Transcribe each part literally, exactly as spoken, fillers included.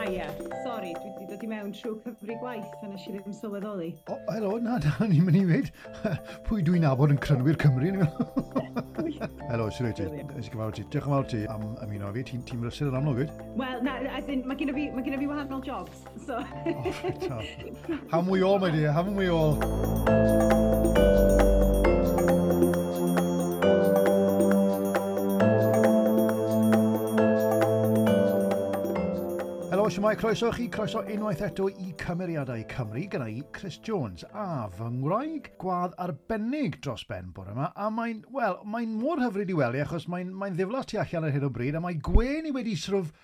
Aia, sori, dwi wedi dod i mewn trwy cyfri gwaith a nes i ddim sylweddoli. O, oh, helo, na, na, ni'n mynd i weud. Pwy dwi'n nabod yn Crynwyr Cymru? Helo, sut wyt ti? Nes i gyfarfod ti. Diolch yn fawr ti am ymuno fi. Ti'n ti brysur yn amlwg, wyt? Wel, na, as in, mae gen i fi, mae gen i fi wahanol jobs, so. Oh, right, oh. Haven't we all, my dear? Haven't we all? Helo, siwmai, croeso chi, croeso unwaith eto i Cymeriadau Cymru, gyda i Chris Jones a fy ngwraig gwadd arbennig dros ben bore yma, a mae'n, wel, mae'n mor hyfryd i weld i, achos mae'n mae ddiflas tu allan ar hyn o bryd, a mae gwên i wedi sort of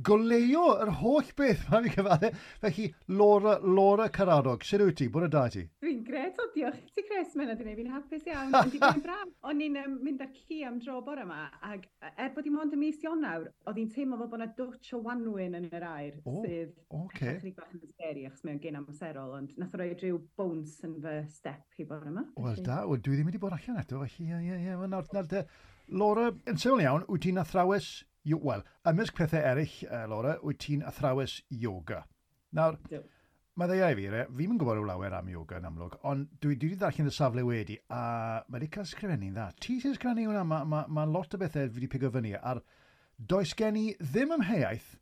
goleuo yr holl beth mae'n fi cyfadde. Felly, Laura, Laura Caradog, sut wyt ti? Bore da i ti? Dwi'n gret, o diolch i ti Chris, mae'n wedi gwneud fi'n hapus iawn. Ond di bod yn braf. O'n i'n um, mynd â'r ci am dro bore yma, ac er bod hi mond y mis Ionawr, oedd hi'n teimlo fel bod yna dwtch o wanwyn yn yr aer, O, sydd Oce. chydig bach yn scary, achos mae'n gyn amserol, ond nath o roi rhyw bounce yn fy step i bore yma. Wel felly- da, wel, dwi ddim wedi bod allan eto, felly ie, ie, ie. Wel, nawr, nawr, te, Laura, yn syml iawn, wyt ti'n athrawes, yo- wel, ymysg pethau eraill, uh, Laura, wyt ti'n athrawes yoga. Nawr, Ydw. mae ddeia i fi, re, fi'm yn gwybod rhyw lawer am yoga yn amlwg, ond dwi, dwi wedi darllen y safle wedi, a mae wedi cael sgrifennu'n dda. Ti sy'n sgrifennu hwnna, mae ma, ma lot o bethau fi wedi pigo fyny, ar does gen i ddim amheuaeth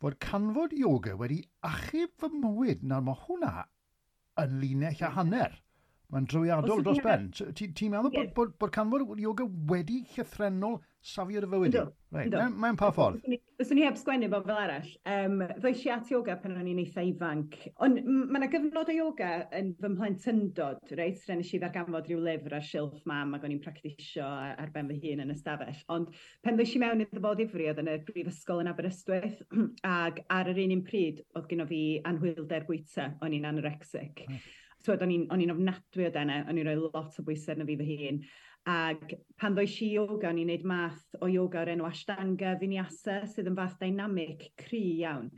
fod canfod yoga wedi achub fy mywyd. Nawr, mae hwnna yn linell a hanner. Mae'n drwyadol Os dros ydi ben. So, Ti'n ti meddwl bod, Ie. bod, bod canfod yoga wedi llythrennol safio dy fywyd i? Yndw, Reit, yndw. mewn, mewn pa ffordd? Fyswn i- Fyswn i heb sgwennu fo fel arall. Um, ddois i at yoga pan o'n i'n eitha ifanc. Ond m- mae yna gyfnod o yoga yn fy mhlentyndod, reit? Lle nes i ddarganfod rhyw lyfr ar silff mam ac o'n i'n practisio ar, ar ben fy hun yn y stafell. Ond pan ddois i mewn iddo fo ddifri, oedd yn y brifysgol yn Aberystwyth, ac ar yr un un pryd oedd gynno fi anhwylder bwyta, o'n i'n anorexic. Reit. Twyd, o'n i'n o'n i'n ofnadwy o denau, o'n i'n rhoi lot o bwysau arno fi fy hun. Ac pan ddois i yoga, o'n i'n neud math o yoga o'r enw Ashtanga Vinyasa, sydd yn fath dynamic cry iawn.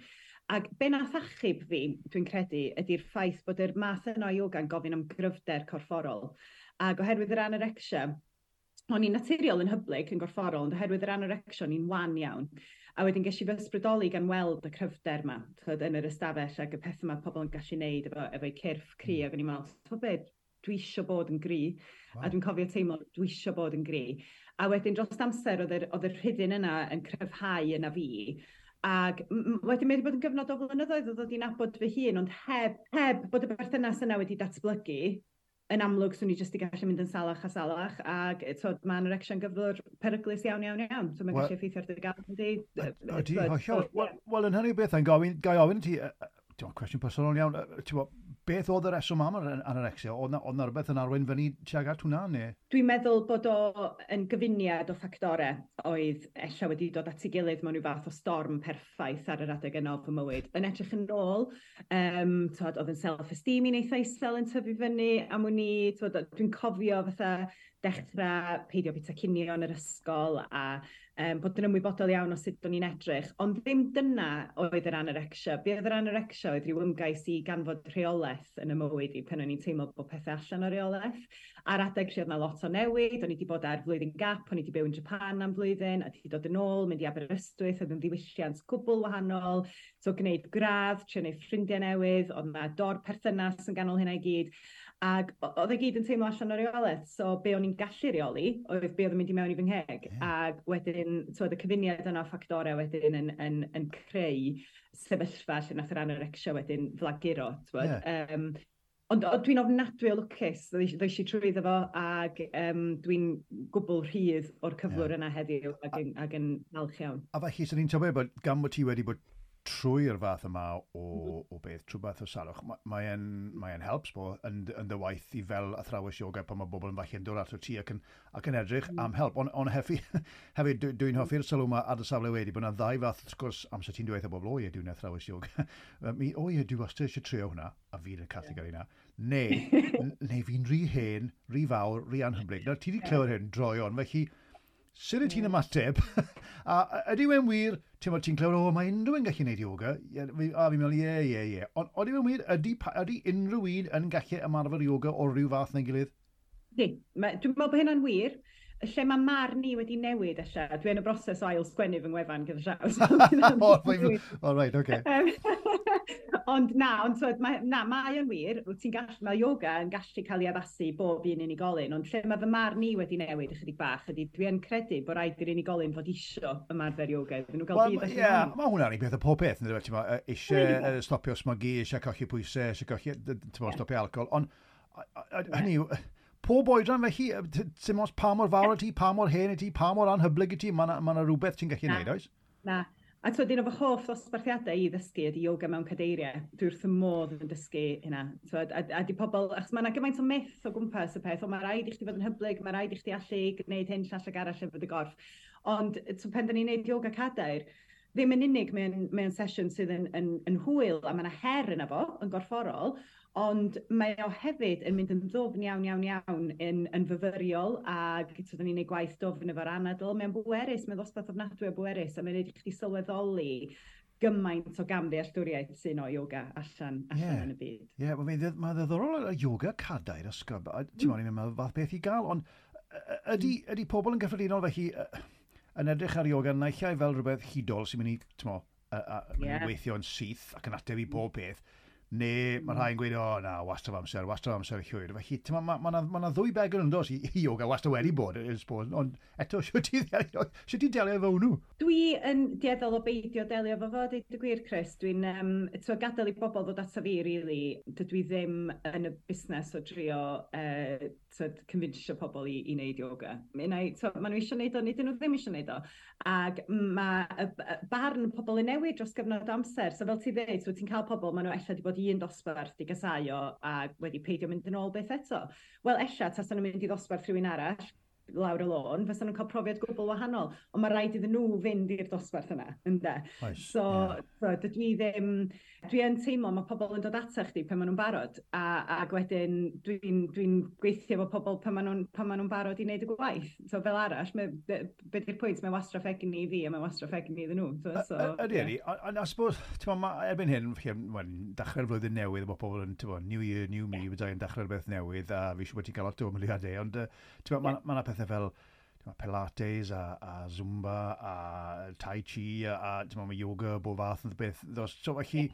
Ac be nath achub fi, dwi'n credu, ydy'r ffaith bod yr math yna o yoga yn gofyn am gryfder corfforol. Ac oherwydd yr anorexia, o'n i'n naturiol yn hyblyg yn gorfforol, ond oherwydd yr anorexia, o'n i'n wan iawn. A wedyn ges i fy ysbrydoli gan weld y cryfder yma, twyd, yn yr ystafell ac y pethau yma pobl yn gallu neud efo, efo'u cyrff cry. Ac o'n i'n meddwl, ti'n be, dwi isio bod yn gry. Wow. A dwi'n cofio teimlo, dwi isio bod yn gry. A wedyn dros amser, oedd yr, oedd yr rhyddid yna yn cryfhau yna fi. Ac m- m- wedyn mae wedi bod yn gyfnod o flynyddoedd o ddod i nabod fy hun, ond heb, heb bod y berthynas yna wedi datblygu, yn amlwg swn i jyst i gallu mynd yn salach a salach, ac twyd, mae anorexia'n gyflwr peryglus iawn, iawn, iawn. So mae'n Wel- gallu effeithio ar dy galon di. Ydy, hollol. Wel, wel, yn hynny o beth, yn gofyn, gai ofyn i ti, yy, yy, ti'n gwbod, cwestiwn personol iawn, yy, ti'n gwbod, beth oedd y reswm am yr anorexia? Oedd na, oedd na rhywbeth yn arwain fyny tuag at hwnna, neu? Dwi'n meddwl bod o yn gyfuniad o ffactorau oedd ella wedi dod at ei gilydd mewn rhyw fath o storm perffaith ar yr adeg yna o fy mywyd. Yn edrych yn ôl, um, twod, oedd yn self-esteem i'n eitha isel yn tyfu fyny am wn i, twod, dwi'n cofio fatha dechrau peidio bwyta cinio yn yr ysgol a um, bod yn ymwybodol iawn o sut o'n i'n edrych. Ond ddim dyna oedd yr anorexia. Be oedd yr anorexia oedd rhyw ymgais i ganfod rheolaeth yn y mywyd i pan o'n i'n teimlo bod pethau allan o reolaeth. Ar adeg lle oedd 'na lot o newid, o'n i wedi bod ar flwyddyn gap, o'n i wedi byw yn Japan am flwyddyn, a wedi dod yn ôl, mynd i Aberystwyth, oedd yn ddiwylliant gwbl wahanol, so gwneud gradd, trio gwneud ffrindiau newydd, oedd 'na dor perthynas yn ganol hynna i gyd. Ac o- oedd e gyd yn teimlo allan o reolaeth, so be o'n i'n gallu reoli oedd be oedd yn mynd i mewn i fy ngheg. Ie. Ac wedyn, twyd, y cyfuniad yna o ffactorau wedyn yn, yn, yn creu sefyllfa lle nath yr anorexia wedyn flaguro, twyd. Ie. Um, ond o, dwi'n ofnadwy o lwcus, ddois ddois i trwyddo fo, ac um, dwi'n gwbl rhydd o'r cyflwr yna heddiw ac yn, ac yn falch iawn. A felly, swn i'n tybio bod gan bod ti wedi bod trwy'r fath yma o, o beth, trwy fath o salwch, mae e'n mae e'n help, sbo, yn, yn dy waith i fel athrawes yoga pan mae bobl yn falle'n dod ato ti ac yn, ac yn edrych mm. am help. Ond on hefyd, hefyd dwi'n hoffi'r sylw yma ar y safle wedi, bod yna ddau fath sgwrs amser ti'n dweud o bobl, o ie, dwi'n athrawes yoga. Mi, o ie, dwi wastad eisiau trio hwnna, a fi'n y categori yna. Neu, neu fi'n rhy hen, rhy fawr, rhy anhyblyg. Nawr, ti wedi clywed hyn droeon, felly sut wyt ti'n ymateb? A ydy e'n wir, ti'n ti'n clywed, o, mae unrhyw un gallu gwneud yoga. A fi'n meddwl, ie, ie, ie. Ond ydy e'n wir, ydy, ydy unrhyw un yn gallu ymarfer yoga o ryw fath neu gilydd? Ydy. Dwi'n meddwl bod hynna'n wir. Lle mae marn ni wedi newid ella, dwi yn y broses o ail sgwennu fy ngwefan gyda llaw. Oh, oh, right, okay. Ond na, ond twyd, mae, na, mae o'n wir, ti'n gall, mae yoga yn gallu cael ei addasu bob un unigolyn, ond lle mae fy marn ni wedi newid ychydig bach ydy, dwi yn credu bod rhaid i'r unigolyn fod isio ymarfer yoga iddyn nhw gael well, budd allan yeah, ohono. Mae hwnna'n un peth o pob peth, ynddo fe, eisiau stopio smygu, eisiau colli pwysau, eisiau colli, ti'n stopio alcohol, ond hynny yw, pob oedran felly, dim ots pa mor fawr y ti, pa mor hen y ti, pa mor anhyblyg y ti, mae yna rhywbeth ti'n gallu neud, oes? Na. A twyd, un o fy hoff ddosbarthiadau i ddysgu ydy yoga mewn cadeiriau. Dwi wrth y modd yn dysgu hynna. Twyd, a, a di pobl, achos mae yna gymaint o myth o gwmpas y peth, o mae rhaid i chdi fod yn hyblyg, mae rhaid i chdi allu gwneud hyn, llall ag arall efo dy gorff. Ond twyd, pan da ni'n gwneud yoga cadair, ddim yn unig mae'n mae sesiwn sydd yn, yn, yn hwyl a mae yna her yna fo, yn gorfforol, ond mae o hefyd yn mynd yn ddwfn iawn, iawn, iawn yn, yn fyfyriol, ac so, da ni'n gwneud gwaith dwfn efo'r anadl. Mae'n bwerus, mae'n ddosbarth ofnadwy o bwerus, a mae'n gwneud i chdi sylweddoli gymaint o gamddealltwriaeth sy'n o yoga allan, allan Ie. yn y byd. Ie, yeah, well, mae ddiddorol y yoga cadair ysgob. Ti'n mm. I'n meddwl fath beth i gael, ond ydy, ydy pobl yn gyffredinol felly yn edrych ar yoga naill ai fel rhywbeth hudol sy'n mynd i, ti'n mo, mynd i weithio yn syth ac yn ateb i bob peth, neu mae rhai'n gweud, "O na, wastad amser, wastad amser llwyr." Felly, ti'n ma, ma, ma, ma na ddwy begwn yn dos i, i yoga wastad wedi bod, I suppose, ond eto, sut ti ddelio, sut ti delio efo hwnnw? Dwi yn dueddol o beidio delio efo fo, deud y gwir, Chris. Dwi'n um, twa, gadael i bobl ddod ato fi, really. Dydw i ddim yn y busnes o drio uh, twyd, convincio pobl i, i wneud yoga. Unai, twyd, maen nhw eisiau wneud o, neu dyn nhw ddim eisiau wneud o. Ac mae y, y barn pobl yn newid dros gyfnod o amser. So fel ti dweud, so ti'n cael pobl, maen nhw ella wedi bod i un dosbarth di gasáu o a wedi peidio mynd yn ôl byth eto. Wel, ella, tasan nhw'n mynd i ddosbarth rhywun arall, lawr y lôn, fysa nhw'n cael profiad gwbl wahanol. Ond mae rhaid iddyn nhw fynd i'r dosbarth yna, ynde? Oes, So, ie. so dydw i ddim. Dwi yn teimlo mae pobl yn dod ata chdi pan maen nhw'n barod, a, ac wedyn dwi'n dwi gweithio efo pobl pan maen nhw'n pan maen nhw'n barod i wneud y gwaith. So fel arall, mae, be, be di'r pwynt? Mae wastraff egni i fi a mae wastraff egni iddyn nhw. So, so, Ydy, ie. ydy. Ond I suppose, ti'n mo, ma, erbyn hyn, well, dechrau'r flwyddyn newydd, bod pobl yn, ti'n mo, new year, new me, yeah. Yn dechrau'r beth newydd, a fi siŵr bod ti'n cael lot o ymweliadau, ond ti'n mo, ma, ma 'na pethau fel ti'n mo, Pilates a, a Zumba a Tai Chi a, a ti'n mo, mae yoga, bob fath o beth. Dos, so felly,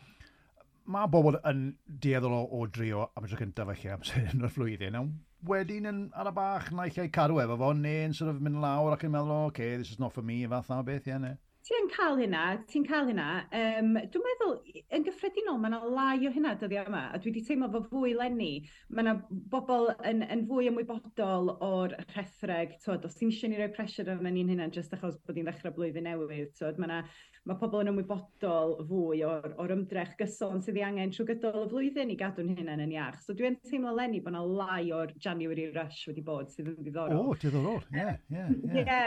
mae bobl yn dueddol o, o drio am y tro cyntaf felly amser yn y flwyddyn, a wedyn yn ar y bach naill ai cadw efo fo, neu'n sort of mynd lawr ac yn meddwl, "Oh, okay, this is not for me," fath na o beth, ie, ne? Ti yn cael hynna, ti'n cael hynna. Um, dwi'n meddwl, yn gyffredinol, mae yna lai o hynna dyddiau yma, a dwi wedi teimlo fo fwy leni. Mae yna bobl yn, yn fwy ymwybodol o'r rhethreg, twyd, os ti'n eisiau ni roi pressure arna ni'n hynna jyst achos bod ni'n ddechrau blwyddyn newydd, twyd, mae yna mae pobl yn ymwybodol fwy o'r, or ymdrech gyson sydd ei angen trwy gydol y flwyddyn i gadw'n hunain yn iach. So dwi'n teimlo leni bod yna lai o'r January rush wedi bod sydd yn ddiddorol. O, diddorol, ie, ie, ie. Ie,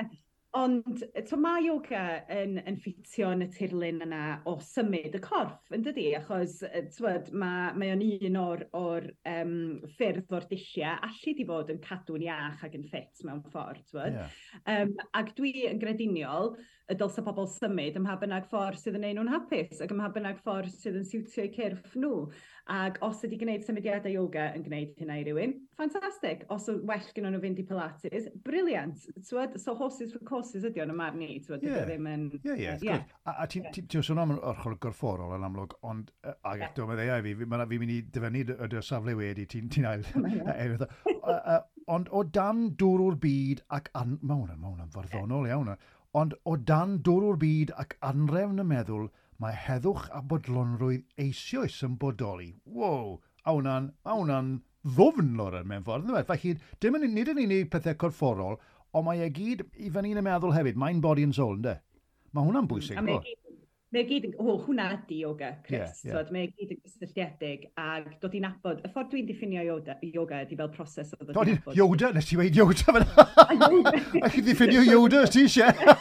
ond to, mae yoga yn, yn ffitio yn y tirlun yna o symud y corff, yn dydi? Achos yy, t'wod, mae, mae o'n un o'r, or, um, ffyrdd o'r dulliau allu di fod yn cadw'n iach ac yn ffit mewn ffordd. T'wod. Ie. Um, ac dwi yn grediniol y dylse pobl symud ym mha bynnag ffordd sydd yn neud nhw'n hapus ac ym mha bynnag ffordd sydd yn siwtio eu cyrff nhw. Ac os ydy gwneud symudiadau yoga yn gwneud hynna i rywun, ffantastig. Os yw well gyda nhw fynd i Pilates, brilliant. T'wod, so horses for courses ydy o'n y marn i, t'wod, Ie. dydy o ddim yn. Ie, ie, wrth Ie. gwrs. A, a ti'n ti, ti sôn am yr ochr gorfforol yn amlwg, ond uh, ag eto, mae ddeau fi, fi, ma' fi'n mynd i dyfynnu dy, dy safle wedi, ti'n ti ail. e, e, ond o dan dwrw'r byd ac... An, mae hwnna'n ma hwnna'n farddonol iawn. Ond o dan dwrw'r byd ac anrefn y meddwl, mae heddwch a bodlonrwydd eisoes yn bodoli. Wow! A hwnna'n, a hwnna'n ddwfn, Lauren, mewn ffordd. Yndyfe? Felly, dim yn, nid yn unig pethau corfforol, ond mae e gyd i fyny yn y meddwl hefyd, mind, body and soul, ynde? Mae hwnna'n bwysig, A mae bo? gyd, mae gyd yn, o, hwnna ydi yoga, Chris. Ie, ie. T'wod, mae gyd yn gysylltiedig ag dod i nabod, y ffordd dwi'n diffinio yoga, yoga ydi fel proses o ddod Dod i i- nabod. Yoda, nes ti weud Yoda fel. A chi ddiffinio Yoda, os ti eisiau?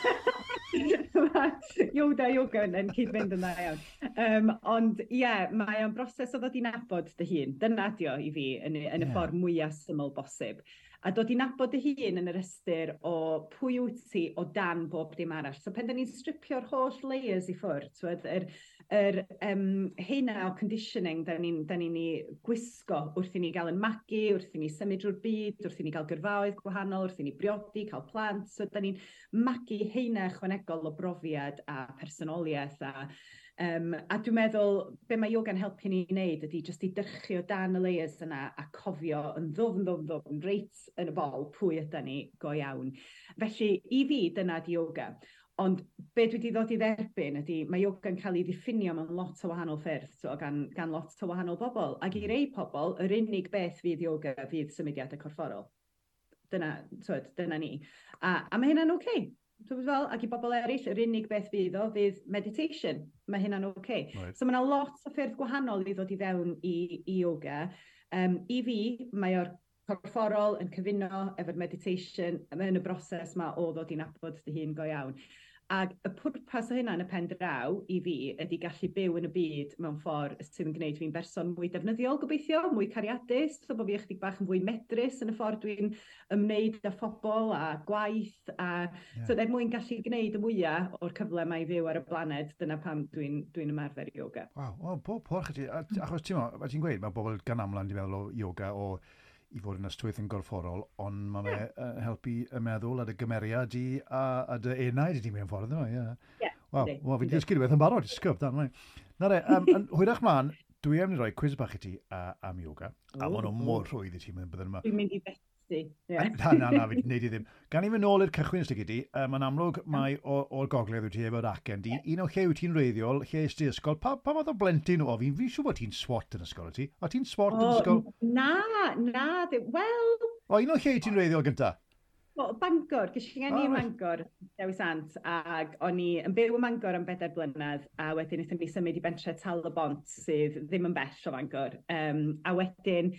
Yoda, yoga yn, yn cyd-fynd yn dda iawn. Um, ond ie, yeah, mae o'n broses o ddod i nabod dy hun. Dyna ydi o i fi yn, y- yn y Ie. ffordd mwyaf syml bosib. A dod i nabod dy hun yn yr ystyr o pwy wyt ti o dan bob dim arall. So pen da ni'n stripio'r holl layers i ffwrdd, t'wod, yr, yr um, heina o conditioning da ni'n ni, ni gwisgo wrth i ni gael yn magu, wrth i ni symud drwy'r byd, wrth i ni gael gyrfaoedd gwahanol, wrth i ni briodi, cael plant. So da ni'n magu heina ychwanegol o brofiad a personoliaeth a Um, a dwi'n meddwl, be mae yoga'n helpu ni wneud ydy jyst i dyrchu o dan y layers yna a cofio yn ddwfn, ddwfn, ddwfn, reit yn y bol pwy ydy ni go iawn. Felly, i fi, dyna di yoga. Ond be dwi wedi ddod i dderbyn ydy, mae yoga'n cael ei ddiffinio mewn lot o wahanol ffyrdd, so, gan, gan lot o wahanol bobl. Ac i rei pobl, yr unig beth fydd yoga fydd symudiadau corfforol. Dyna, twyd, dyna ni. A, a mae hynna'n oce. Okay. Fel, ac i bobl eraill, yr unig beth fydd o fydd meditation. Mae hynna'n oce. Okay. Right. So mae yna lot o ffyrdd gwahanol i ddod i fewn i, i yoga. Um, I fi, mae o'r corfforol yn cyfuno efo'r meditation yn y broses ma o ddod i nabod dy hun go iawn. Ac y pwrpas o hynna yn y pen draw i fi ydy gallu byw yn y byd mewn ffordd sydd yn gwneud fi'n berson mwy defnyddiol gobeithio, mwy cariadus, so bod fi ychydig bach yn fwy medrus yn y ffordd dwi'n ymwneud â phobl a gwaith. A, yeah. So er mwyn gallu gwneud y mwyaf o'r cyfle mae i fyw ar y blaned, dyna pam dwi'n dwi ymarfer yoga. Waw, oh, pob parch i ti. Achos ti'n ti'n gweud, mae bobl gan amla'n di meddwl o yoga o i fod yn ystwyth yn gorfforol, ond mae fe yeah. helpu y meddwl a dy gymeriad i a, a dy enaid i ti mewn ffordd yma, ie. Yeah. Waw, well, fi wedi dysgu rhywbeth yn barod, sgwb, dan, mae. Na re, um, hwyrach mlaen, dwi am i roi quiz bach i ti uh, am yoga, a maen nhw mor rhwydd i ti mewn byddwn yma. Dwi'n mynd i fethu. Yeah. Na, na, na, fi wneud i ddim. Gan i fynd nôl i'r cychwyn ystig i ti, uh, mae'n amlwg mai o'r gogledd wyt ti efo'r acen di. Yeah. Un o lle wyt ti'n reiddiol, lle est ti ysgol, pa, pa fath o blentyn o fi'n fi siŵr bod ti'n swot yn ysgol, ti? O ti'n swot oh, yn ysgol? Na, na, wel... O, un o lle ti'n reiddiol gynta? O, Bangor, ges i ngeni oh, ym Mangor, Dewi Sant, ac o'n i yn byw ym Mangor am bedair blynedd, a wedyn wnaethon ni symud i bentre Tal y Bont, sydd ddim yn bell o Fangor. Um, a wedyn,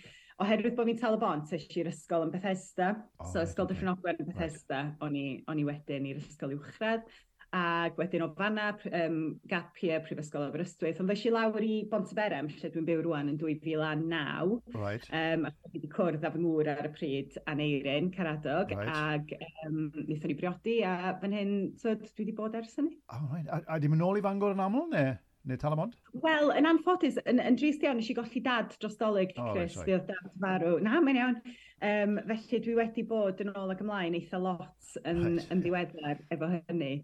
oherwydd bod fi'n Tal y Bont, es i'r ysgol yn Bethesda. Oh, so ysgol okay. Dyffryn Ogwen yn Bethesda, right. o'n i, o'n i wedyn i'r ysgol uwchradd. Ac wedyn o fanna, um, gap year Prifysgol Aberystwyth. Ond ddes i lawr i Bontyberem, lle dwi'n byw rwan yn dwy fil a naw. Right. Um, a dwi wedi cwrdd â fy ngŵr ar y pryd, Aneirin Caradog. Right. Ac um, wnaethon ni briodi, a fan hyn, so, dwi wedi bod ers hynny. Oh, right. A, a di mynd nôl i Fangor yn aml, neu? Neu Tal y Bont? Wel, yn anffodus, yn, yn drist iawn, nes i golli dad dros Dolig, oh, Chris, right, fi oedd dad farw. Na, mae'n iawn. Um, felly dwi wedi bod yn ôl ac ymlaen eitha lot yn, right. yn ddiweddar efo hynny.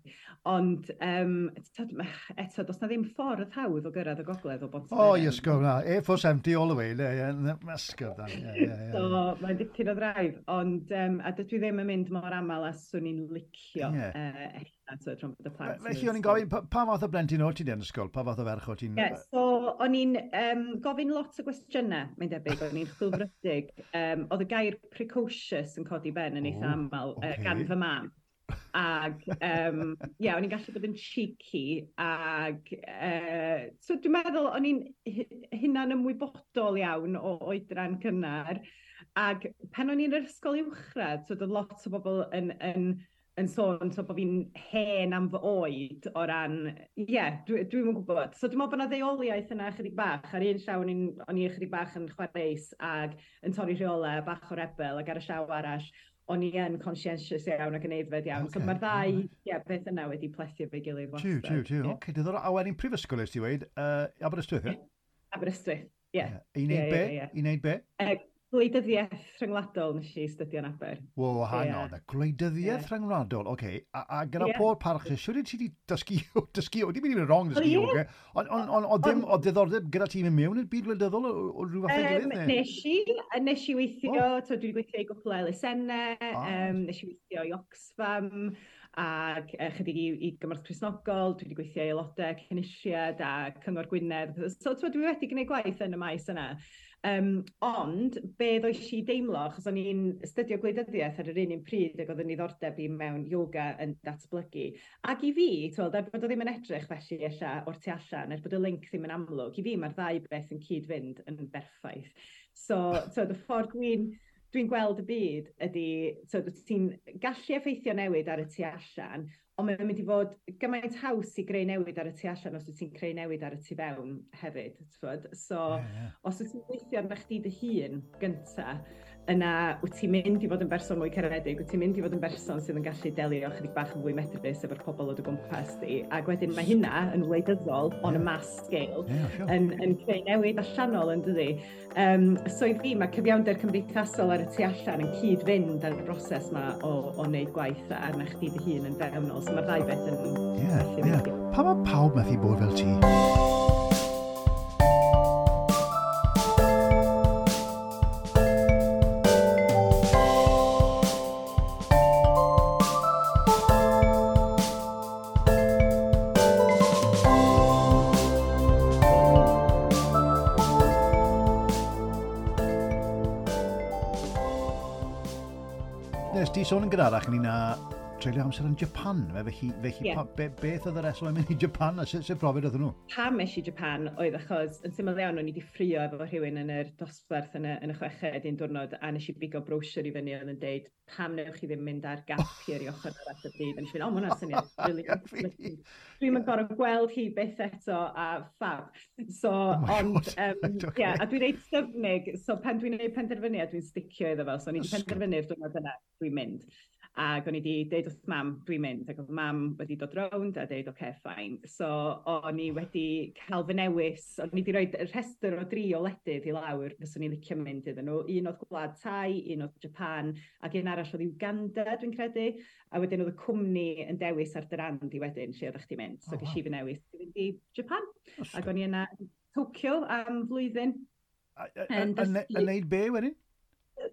Ond um, eto, does na ddim ffordd hawdd o gyrraedd y gogledd o Bont. O, oh, ysgol, na. A four seventy all the way. Ysgol, dan. Yeah, yeah, yeah. So, mae'n dipyn o ddraif. Ond, um, a dydw i ddim yn mynd mor aml a swn i'n licio. Yeah. Uh, so, rhwng bod y plant. Felly, o'n i'n gofyn, pa, pa fath o blentyn o ti'n yn ysgol? Pa fath o ferch o ti'n... Yeah, so, o'n i'n um, gofyn lot o gwestiynau, mae'n debyg, o'n i'n chwilfrydig. Um, oedd y gair precocious yn codi ben yn eitha oh, aml okay. uh, gan fy mam. Ag, um, yeah, o'n i'n gallu bod yn cheeky, ag, uh, so dwi'n meddwl o'n i'n hunan ymwybodol iawn o oedran cynnar, ag pan o'n i'n yr ysgol uwchradd, so oedd lot o bobl yn, yn yn sôn so bod fi'n hen am fy oed o ran, ie, yeah, dwi, dwi'm yn gwybod. So dwi'n meddwl bod yna ddeuoliaeth yna chydig bach. Ar un llaw o'n i'n o'n i chydig bach yn chwareus ag yn torri rheolau, bach o rebel, ac ar y llaw arall, o'n i yn conscientious iawn ac yn aeddfed iawn. Okay. So mae'r ddau yeah, beth yna wedi plethu efo'i gilydd wastad. Tiw, tiw, tiw. Yeah. Oce, diddorol. A wedyn prifysgol ys ti weud, uh, Aberystwyth, ie? Aberystwyth, ie. Yeah. I wneud be? I wneud be? Uh, Gwleidyddiaeth rhyngwladol nes i astudio yn Aber. Wo, hang yeah. on, gwleidyddiaeth yeah. rhyngwladol, oce. Okay. A, a gyda yeah. pob parch, siwr i ti wedi dysgu, dysgu, wedi mynd i'n wrong dysgu oh, yoga, ond on, on, on, ddim, o diddordeb gyda ti mynd mewn i'r byd gwleidyddol o, o rhyw fath o'i gilydd? Um, nes i, nes i weithio, oh. So, dwi wedi gweithio i gwpl o elusennau, ah. um, nes i weithio i Oxfam, ac chydig i, i Gymorth Cristnogol, dwi wedi gweithio i aelodau Cynulliad a Cyngor Gwynedd. So, so dwi wedi gwneud gwaith yn y maes yna. Um, ond, be ddoes i deimlo, achos o'n i'n astudio gwleidyddiaeth ar yr un un pryd ac oedd yn niddordeb i mewn yoga yn datblygu. Ac i fi, tweld, er bod o ddim yn edrych felly ella o'r tu allan, er bod y link ddim yn amlwg, i fi mae'r ddau beth yn cyd-fynd yn berffaith. So, so y ffordd dwi'n dwi'n gweld y byd ydy, so, ti'n gallu effeithio newid ar y tu allan, ond mae'n mynd i fod gymaint haws i greu newid ar y tu allan os wyt ti'n creu newid ar y tu fewn hefyd. T'wod? So, yeah, yeah. os wyt ti'n gweithio arna chdi dy hun gynta, yna wyt ti'n mynd i fod yn berson mwy caredig, wyt ti'n mynd i fod yn berson sydd yn gallu delio chydig bach yn fwy medrus efo'r pobl o dy gwmpas di. Ac wedyn mae hynna yn wleidyddol, on a mass scale, yeah, sure. yn, yn creu newid allanol yn dydi. Um, so i fi, mae cyfiawnder cymdeithasol ar y tu allan yn cyd-fynd ar y broses yma o, o wneud gwaith arna chdi dy hun yn fewnol. So mae'r ddau beth yn... Yeah, yeah. Pa mae pawb methu bod fel ti? Sôn yn gynharach ynglyn â treulio amser yn Japan, fe, felly, felly yeah. pa, be, beth oedd y reswm yn mynd i Japan a sut, sut brofiad oedd nhw? Pam es i Japan oedd achos yn syml iawn o'n i wedi ffrio efo rhywun yn yr dosbarth yn y, yn y chweched un diwrnod a nes i bigo brochure i fyny oedd yn deud pam newch chi ddim mynd ar gap year i ochr arall y byd. A nes i fynd, o, ma' hwnna'n syniad really. Dwi'm yn gorfod gweld hi byth eto a fab. So, oh ond, um, okay. yeah, a dwi'n reit styfnig, so pan dwi'n gwneud penderfyniad, dwi'n sticio iddo fo. So, o'n i wedi penderfynu'r diwrnod yna, dwi'n mynd. Ac o'n i wedi deud wrth mam, dwi'n mynd. Ac oedd mam wedi dod rownd a deud, oce, okay, fine. So, o'n i wedi cael fy newis, o'n i wedi rhoi rhestr o dri o wledydd i lawr, fyswn i'n licio mynd iddyn nhw. Un oedd Gwlad Thai, un oedd Japan, ac un arall oedd Uganda, dwi'n credu. A wedyn oedd y cwmni yn dewis ar dy ran di wedyn, lle oeddech chdi'n mynd. So, oh, ges wow. i fy newis i fynd i Japan. Ac o'n i yna yn Tokyo am flwyddyn. Yn neud be wedyn?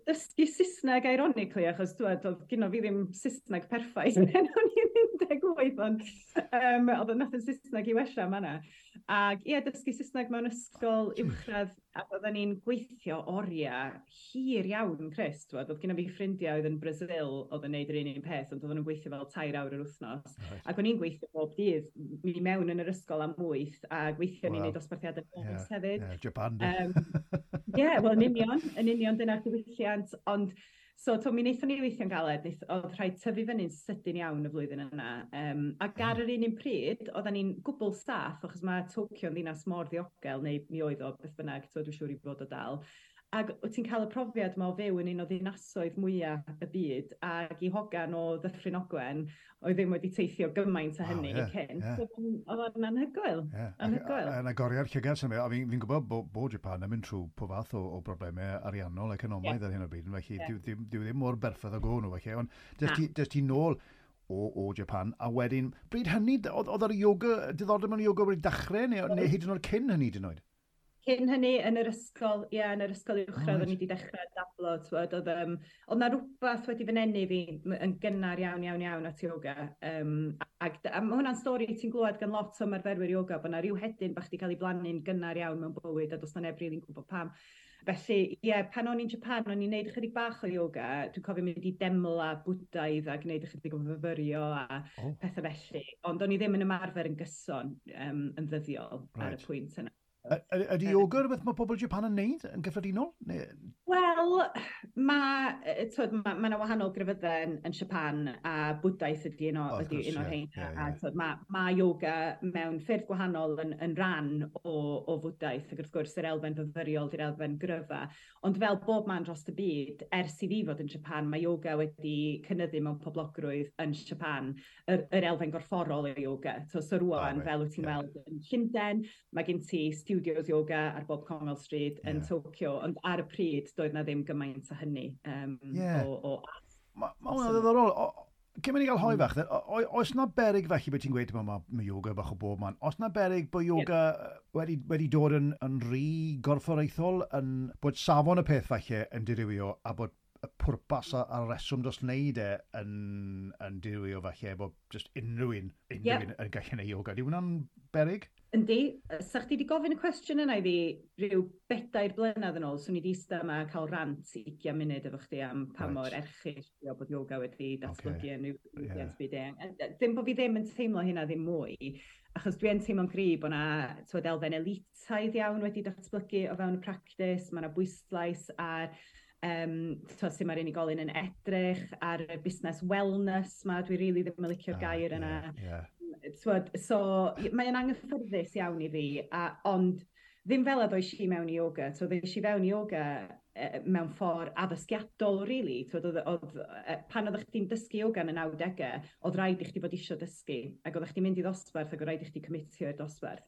Dysgu Saesneg, ironically, achos dwi, oedd gynno fi ddim Saesneg perffaith pan o'n i'n un deg wyth, ond um, oedd nath yn Saesneg i wella yma. Ac ie, dysgu Saesneg mewn ysgol uwchradd, ac oedden ni'n gweithio oriau hir iawn, Chris, twyd. Oedd gynno fi ffrindiau oedd yn Brazil oedd yn neud yr un un peth, ond oedden nhw'n gweithio fel tair awr yr wythnos. Right. Ac o'n i'n gweithio bob dydd, mi mewn yn yr ysgol am wyth, a gweithio ni'n Wow. neud dosbarthiadau nos Yeah, hefyd. yeah, Japan. Ie, yeah, wel, yn union, yn union dyna'r diwylliant, ond so, to, mi wnaethon ni weithio'n galed, wnaeth, oedd rhaid tyfu fyny'n sydyn iawn y flwyddyn yna. Um, ac ar yr un un pryd, oedden ni'n gwbl saff, achos mae Tokyo yn ddinas mor ddiogel, neu mi oedd o, beth bynnag, to, dwi'n siŵr i fod o dal. Ac wyt ti'n cael y profiad yma o fyw yn un o ddinasoedd mwyaf y byd, ac i hogan o Ddyffryn Ogwen, oedd ddim wedi teithio gymaint o Wow, hynny ie, cyn. ie. So, Oedd o'n anhygoel. Yeah. Anhygoel. Yn agoriad llygad sy'n a fi'n fi gwybod bod bo Japan yn mynd trwy po fath o, o broblemau ariannol economaidd Ie. ar hyn o bryd, felly Ie. dyw, dyw, dyw ddim mor berffaith o go nhw, felly. Ond Na. des ti, des ti nôl o, o Japan, a wedyn, bryd hynny, oedd, oedd yr yoga, diddordeb mewn yoga wedi dechrau, neu, neu hyd yn oed cyn hynny, hyd yn oed? Cyn hynny, yn yr ysgol, ie, yn yr ysgol uwchradd, Oh, o'n i wedi dechrau dablo, t'wod, oedd, um, oedd 'na rhywbeth wedi fy nenu fi m- yn gynnar iawn, iawn, iawn at yoga. Um, ac a mae hwnna'n stori ti'n glywed gan lot o ymarferwyr yoga, bod 'na rhyw hedyn bach 'di cael ei blannu'n gynnar iawn mewn bywyd, a does 'na neb rili'n gwybod pam. Felly, ie, pan o'n i'n Japan, o'n i'n neud ychydig bach o yoga. Dwi'n cofio mynd i demla Bwdaidd a gwneud ychydig o fyfyrio a Oh. pethau felly. Ond o'n i ddim yn ymarfer yn gyson um, yn ddyddiol ar y Right. pwynt yna. Y- Ydy yoga rhywbeth mae pobl Japan yn neud yn gyffredinol? Neu, Wel, mae ma, ma ma 'na wahanol grefyddau yn, yn Japan a Bwdaeth ydy un o, O, wrth ydy gwrs, un o'r ie, rheina. ie, A ie. t'wod, ma, ma yoga mewn ffyrdd gwahanol yn, yn ran o, o Fwdaeth, ac wrth gwrs yr elfen fyfyriol di'r elfen gryfa. Ond fel bob man dros y byd, ers i fi fod yn Japan, mae yoga wedi cynyddu mewn poblogrwydd yn Japan, yr, yr elfen gorfforol o yoga. So, so rwan, Ah, reit, fel wyt ti'n ie. weld yn Llundain, mae gen ti studios yoga ar bob Congol Street yn Ie. Tokyo, ond ar y pryd doedd na ddim gymaint o hynny um, Ie. o, o Mae ma hwnna'n ddiddorol. O- Cyn mynd i gael hoi Mm. fach, then, o- o- oes na berig felly beth ti'n gweud, mae ma yoga bach o bob man, oes na berig bod yoga wedi, wedi dod yn, yn rhy gorfforaethol, yn, bod safon y peth falle yn dirywio a bod y pwrpas a- a'r reswm dros wneud e yn, yn dirywio falle, bod just unrhyw un, unrhyw Ie. un yn gallu gwneud yoga. Di hwnna'n berig? Yndi, sa chdi wedi gofyn y cwestiwn yna i fi rhyw bedair blynedd yn ôl, swn i wedi eistedd yma a cael rant ugain munud efo chdi am pa Reit. mor erchyll ydi o bod yoga wedi datblygu yn ryw Ie. ddiwydiant byd-eang. A- a Ddim bod fi ddim yn teimlo hynna ddim mwy, achos dwi yn teimlo'n gry bod 'na t'wod, elfen elitaidd iawn wedi datblygu o fewn y practis, mae 'na bwyslais ar um, t'wod, sut mae'r unigolyn yn edrych, ar y busnes wellness 'ma, dwi rili ddim yn licio'r Ah, gair yna. Ie, ie. T'wod, so mae o'n anghyffyrddus iawn i fi, a, ond Ddim fel a ddoes i mewn i yoga. So ddoes i fewn i yoga uh, mewn ffordd addysgiadol, really. So, oedd, oedd, pan oeddech chdi'n dysgu yoga yn y nawdegau, oedd rhaid i chdi fod isio dysgu. Ac oeddech chdi'n mynd i ddosbarth ac oedd rhaid i chdi commitio i'r dosbarth.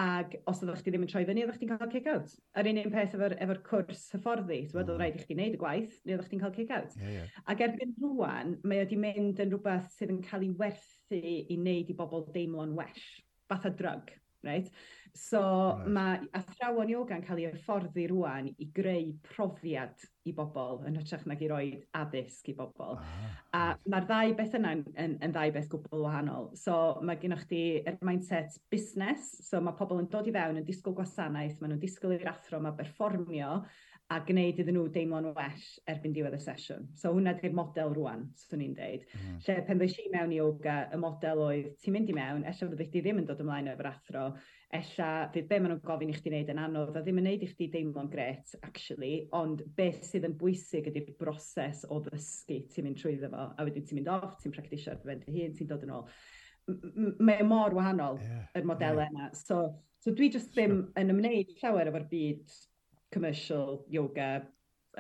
Ac os oeddech chdi ddim yn troi fyny, oeddech chdi'n cael kick-out. Yr un un peth efo'r efo cwrs hyfforddi. So, mm. oedd rhaid i chdi wneud y gwaith, neu oeddech chdi'n cael kick-out. Yeah, yeah. Ac erbyn rwan, mae wedi mynd yn rhywbeth sydd yn cael ei werthu i wneud i bobl deimlo'n well. Fatha drug, right? So right. mae athrawon yoga yn cael ei hyfforddi rwan i greu profiad i bobl yn hytrach nag i roi addysg i bobl. Ah, a right. mae'r ddau beth yna yn, yn, yn ddau beth gwbl wahanol. So mae gennych chdi yr mindset busnes, so mae pobl yn dod i fewn yn disgwyl gwasanaeth, maen nhw'n disgwyl i'r athro 'ma berfformio a gwneud iddyn nhw deimlo'n well erbyn diwedd y sesiwn. So hwnna di'r model rwan, swn i'n deud. Mm. Lle pan ddoes i mewn i yoga, y model oedd ti'n mynd i mewn, ella fyddi chdi ddim yn dod ymlaen efo'r athro, ella fydd be maen nhw'n gofyn i chdi wneud yn anodd a ddim yn wneud i chdi deimlo'n gret, actually, ond beth sydd yn bwysig ydy'r broses o ddysgu ti'n mynd trwyddo fo, a wedyn ti'n mynd off, ti'n practisio ar dy ben dy hun, ti'n dod yn ôl. Mae mor wahanol, yeah, yr modelau yeah. yna. So, so dwi just ddim sure. yn ymwneud llawer efo'r byd commercial yoga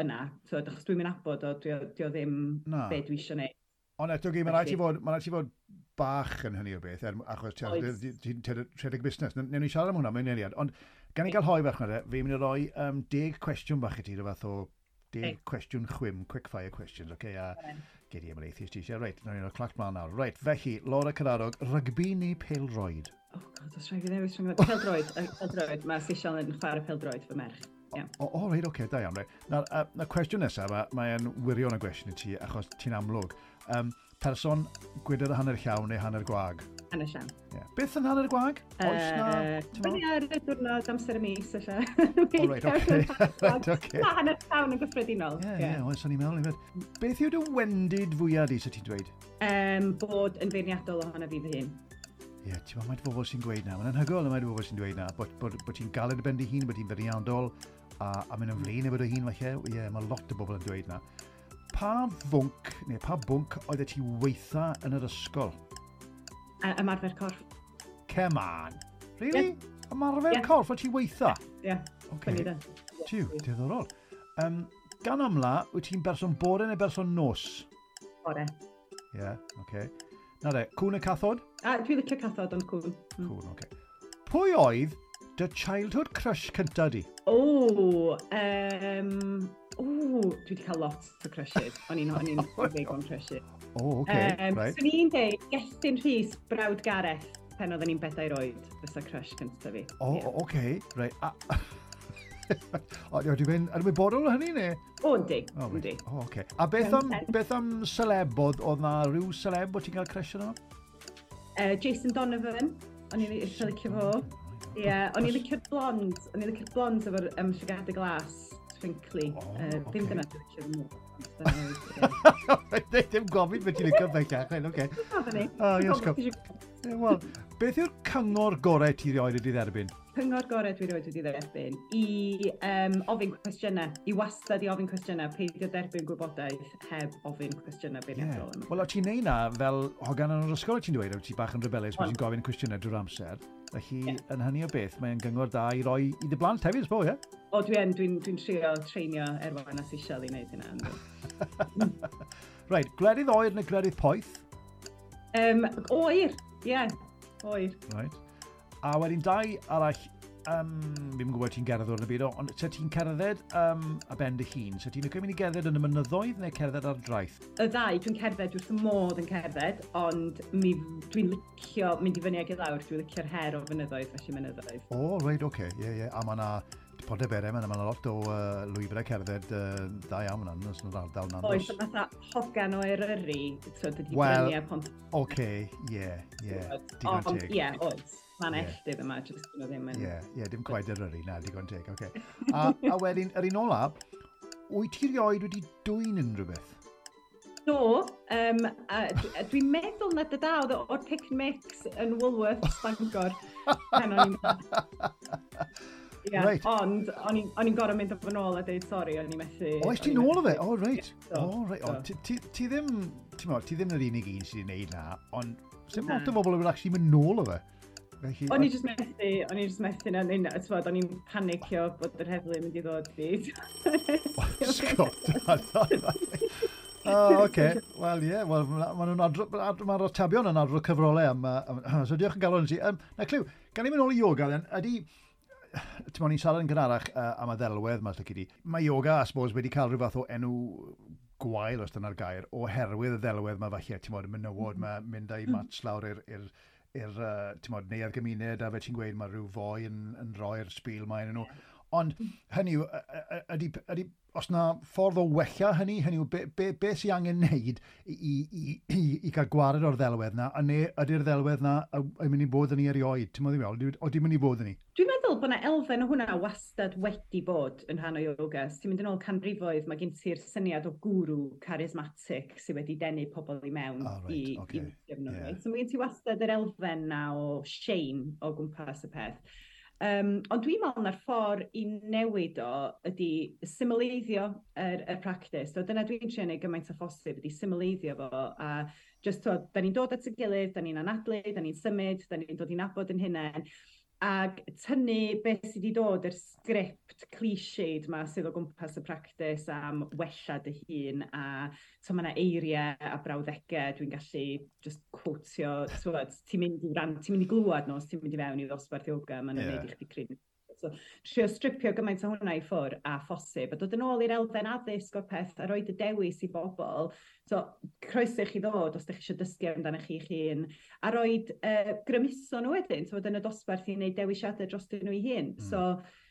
yna. So, achos dwi'n mynd nabod o, dwi, dwi o ddim Na. be dwi eisiau gwneud. Ond eto gyd, mae'n rhaid ti fod, mae'n rhaid ti fod bach yn hynny o beth, er, achos ti'n rhedeg busnes. Newn ni siarad am hwnna mewn eiliad. Ond gan i gael hoe bach na, fi'n mynd i roi um, deg cwestiwn bach i ti, rhyw fath o deg hey. cwestiwn chwim, quick fire questions, okay? A gei di ymwneud ti eisiau. Reit, nawn ni'n clac mlaen nawr. Reit, felly, Laura Cadarog, rygbi neu pêl-droed? Oh God, os rhaid fi ddewis rhwng pêl-droed, pêl-droed. Mae Sisial yn chwarae pêl-droed, fy merch. Yeah. O, o, reit, oce, okay, da iawn. Reit. Na, uh, na cwestiwn nesaf, mae'n wirion o gwestiwn i ti, achos ti'n amlwg. Um, person gwydr hanner llawn neu hanner gwag? Hanner llawn. Yeah. Beth yn hanner gwag? Oes na... Fyny ar y diwrnod amser y mis, ella. O, reit, oce. Reit, oce. Na, hanner llawn yn gyffredinol. Ie, ie, oes o'n i'n meddwl. Beth yw dy wendid fwyaf di, sa ti'n dweud? Um, bod yn feirniadol ohono fi fy hun. Ie, yeah, ti'n meddwl, mae bobl sy'n gweud na. Mae'n anhygoel mae bobl sy'n dweud na. Bod, bod, bod ti'n galed y ben dy hun, bod ti'n feirniadol, a, a mynd yn flin efo dy hun falle. Ie, yeah, mae lot o bobl yn dweud na. Pa fwnc, neu pa bwnc oedd ti weitha yn yr ysgol? A, ymarfer corff. Come on. Really? Yeah. Ymarfer yeah. corff oedd ti weitha? Ie. Yeah. Okay. Tiw, diddorol. Um, gan amla, wyt ti'n berson bore neu berson nos? Bore. Ie, yeah, oce. Okay. Na de, cwn y cathod? A, dwi'n licio cathod, ond cwn. Mm. Cwn, oce. Okay. Pwy oedd dy childhood crush cynta di? O, um, o, dwi wedi cael lot o crushes. O'n i'n o'n i'n big on crushes. O, oh, oce, okay, um, right. Swn i'n deud, Gethin Rhys, brawd Gareth, pan oedden ni'n bedair oed, fysa crush cynta fi. O, oh, yeah. oce, okay, right. A, o, dwi'n mynd ymwybodol o hynny, neu? O, yndi, yndi. O, oce. A beth am, beth am celeb, oedd, oedd na rhyw celeb bod ti'n cael crush yno? Uh, Jason Donovan, o'n i'n eitha licio fo. Ie, yeah, o'n i'n licio'r blond, o'n i'n licio'r blond efo'r um, llygadau glas, twinkly. Oh, uh, okay. Ddim dyna dwi'n licio mwy. Dim gofyn beth ti'n licio bellach, oce. Oh, yes, Wel, beth yw'r cyngor gorau ti rioed wedi dderbyn? Cyngor gorau dwi rioed wedi dderbyn i um, ofyn cwestiynau, i wastad i ofyn cwestiynau, peidio derbyn gwybodaeth heb ofyn cwestiynau beirniadol. Yeah. Wel, o ti'n neud na fel hogan yn yr ysgol, ti'n dweud, o ti bach yn rebellious, bod ti'n gofyn cwestiynau drwy'r amser. Felly, yeah. yn hynny o beth, mae'n gyngor da i roi i dy blant hefyd, sbo, ie? O, dwi'n dwi dwi trio treinio Erwan a Sisial i wneud hynna. Reit, gwledydd oer neu gwledydd poeth? Um, oer, ie, yeah, oer. Right. A wedyn dau arall, um, fi'n gwybod ti'n gerdded o'r byd, ond se ti'n cerdded um, a ben dy hun, se ti'n licio mynd i gerdded yn y mynyddoedd neu cerdded ar draeth? Y ddau, dwi'n cerdded wrth y modd yn cerdded, ond mi, dwi'n licio mynd i fyny ag i lawr, dwi'n licio'r her o fynyddoedd, felly mynyddoedd. O, oh, reit, oce, okay. ie, yeah, ie, yeah. A mae yna Pontyberem, mae yna lot o uh, lwybrau cerdded uh, da iawn yna, yn yr ardal yna. Oes, fatha hogan o Eryri, so dydy well, bryniau Pont... Oce, ie, ie, digon teg. Ie, oes. Mae'n yeah. elltydd yma, jyst nhw ddim yn... Ie, yeah, yeah, dim quite Eryri, na, digon teg, oce. Okay. A, a wedyn, yr un ola, wyt ti rioed wedi dwyn unrhyw beth? Do, um, a, dwi'n meddwl na dy da, oedd o'r pick and mix yn Woolworths, Bangor, pan o'n i'n... Yeah, right. Ond o'n i'n gorfod mynd efo nôl a deud sori, o'n i'n methu... O, es ti nôl o fe? O, reit. O, reit. O, ti, ti ddim, ti'n ti ddim yr unig un sydd wedi gwneud na, ond sy'n lot o bobl yn actually mynd nôl o fe. Felly, O'n i jyst methu, o'n i jyst methu na, na, t'mod, o'n i'n panicio bod yr heddlu yn mynd i ddod i. Scott. Oh, oce. Wel, ie. Wel, ma' nhw'n adro- mae'r atebion yn adrodd cyfrolau am... am so diolch yn galon i ti. Um, na, Clyw, gan i mynd ôl i yoga, then, ydy... Ti'n ni'n siarad yn gynharach uh, am y ddelwedd yma, lle di. Mae yoga, I suppose, wedi cael rhyw fath o enw gwael, os dyna'r gair, oherwydd y ddelwedd yma falle, ti'n modd, y menywod yma, mynd â'i mats lawr i'r i'r i'r uh, ti'n modd, neuadd gymuned, a fe ti'n gweud mae rhyw foi yn, yn rhoi'r spiel mae yn nhw. Ond hynny yw, ydy, ydy, os na ffordd o wella hynny, hynny yw, be, be, be sy'n angen wneud i, i, i, i, i cael gwared o'r ddelwedd na, a neu ydy'r ddelwedd na yn mynd i bod yn ni erioed? Ti'n meddwl, oeddi mynd i bod yn ni? Dwi'n meddwl bod yna elfen o hwnna wastad wedi bod yn rhan o yoga. Os ti'n mynd yn ôl canrifoedd, mae gen ti'r syniad o guru charismatic sydd wedi denu pobl i mewn oh, right, i, okay. i nhw. Yeah. So mae gen ti wastad yr elfen na o shame o gwmpas y peth. Um, ond dwi'n meddwl na'r ffordd i newid o ydy symleiddio yr, y practice. So dyna dwi'n trio neud gymaint o phosib, ydy symleiddio fo. A just to, da ni'n dod at y gilydd, da ni'n anadlu, da ni'n symud, da ni'n dod i nabod yn hunain. Ac tynnu beth sydd wedi dod, yr sgript cliched ma sydd o gwmpas y practice am wella dy hun, a so mae yna eiriau a brawddegau dwi'n gallu just quotio, ti'n mynd i ran, ti'n mynd i glwad nhw os ti'n mynd i fewn i ddosbarth yoga, maen nhw'n yeah. neud i chdi crin. So, trio stripio gymaint o hwnna i ffwrdd a phosib, a dod yn ôl i'r elfen addysg o'r peth a rhoi y dewis i bobl. So, croeso i chi ddod os ydych chi eisiau dysgu amdano chi'ch hun, a rhoi uh, grymuso nhw wedyn, so yn y dosbarth i wneud dewisiadau dros nhw i hun. Mm. So,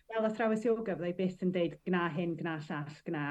fel athrawes yoga, fyddai byth yn deud gna hyn, gna llall, gna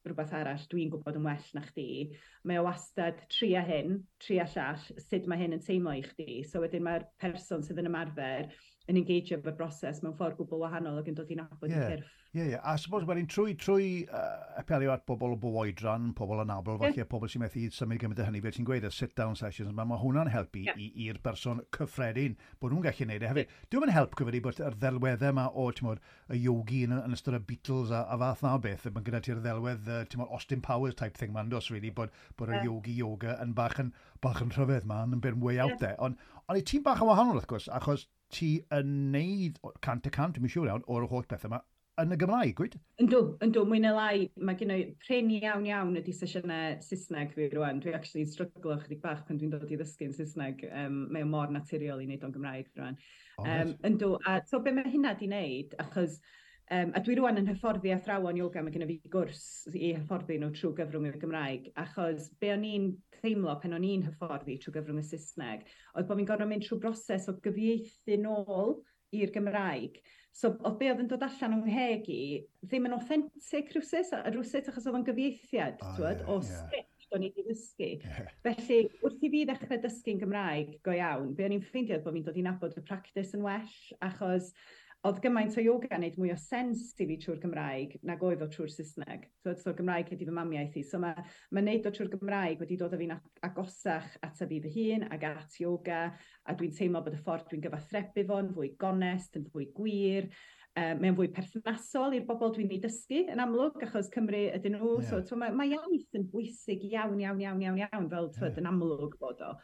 rhywbeth arall, dwi'n gwybod yn well na chdi. Mae o wastad tria hyn, tria llall, sut mae hyn yn teimlo i chdi. So wedyn mae'r person sydd yn ymarfer yn engagio efo'r broses mewn ffordd gwbl wahanol ac yn dod i nabod yeah. i cyrff. Ie, yeah, ie. Yeah. A suppose wedyn trwy, trwy uh, apelio at bobl o bob oedran, pobl anabl, falle yeah. pobl sy'n methu symud gymaint o hynny, fel ti'n gweud, y sit-down sessions, mae ma hwnna'n helpu yeah. i'r person cyffredin bod nhw'n gallu neud e hefyd. Yeah. Dwi'n help gyfydu bod yr ddelweddau yma o, ti'n modd, y yogi yn, yn ystod y Beatles a, a fath na o beth, mae gyda ti'r ddelwedd, uh, ti'n modd, Austin Powers type thing ma'n dos, really, bod, bod y yeah. yogi yoga yn bach yn, bach yn rhyfedd man, yn bit way out yeah. there. Ond on, ti'n bach yn wahanol, wrth gwrs, achos ti yn neud cant y cant, dwi'n siŵr iawn, o'r holl bethau yma yn y Gymraeg, gwyd? Yndw, yndw, mwy neu lai, mae gen i prin iawn iawn ydy sesiynau Saesneg fi rwan. Dwi actually stryglo chydig bach pan dwi'n dod i ddysgu'n Saesneg. Um, mae o mor naturiol i wneud o'n Gymraeg rwan. Oh, um, yndw, a so be mae hynna di wneud, achos Um, a dwi rwan yn hyfforddi athrawon yoga, mae gen i fi gwrs i hyfforddi nhw trwy gyfrwng y Gymraeg, achos be o'n i'n teimlo pan o'n i'n hyfforddi trwy gyfrwng y Saesneg, oedd bod fi'n gorfod mynd trwy broses o gyfieithu nôl i'r Gymraeg. So, oedd be oedd yn dod allan o'n ngheg i ddim yn authentic rhywsut, rhywsut achos oedd o'n gyfieithiad, oh, twyd, yeah, o yeah. sgript o'n i wedi ddysgu. Yeah. Felly, wrth i fi ddechrau dysgu'n Gymraeg go iawn, be o'n i'n ffeindio oedd bod fi'n dod i nabod y practice yn well, achos oedd gymaint o yoga yn neud mwy o sens i fi trwy'r Gymraeg nag oedd o trwy'r Saesneg. So, so Gymraeg ydy fy mamiaith i. So mae, mae neud o trwy'r Gymraeg wedi dod â fi'n agosach at fi fy hun ag at yoga, a dwi'n teimlo bod y ffordd dwi'n gyfathrebu fo'n fwy gonest, yn fwy gwir. Um, mae'n fwy perthnasol i'r bobl dwi'n ei dysgu yn amlwg, achos Cymru ydyn nhw. Yeah. So, so mae, mae iaith yn bwysig iawn, iawn, iawn, iawn, iawn, fel Yeah. yeah. yn amlwg bod o.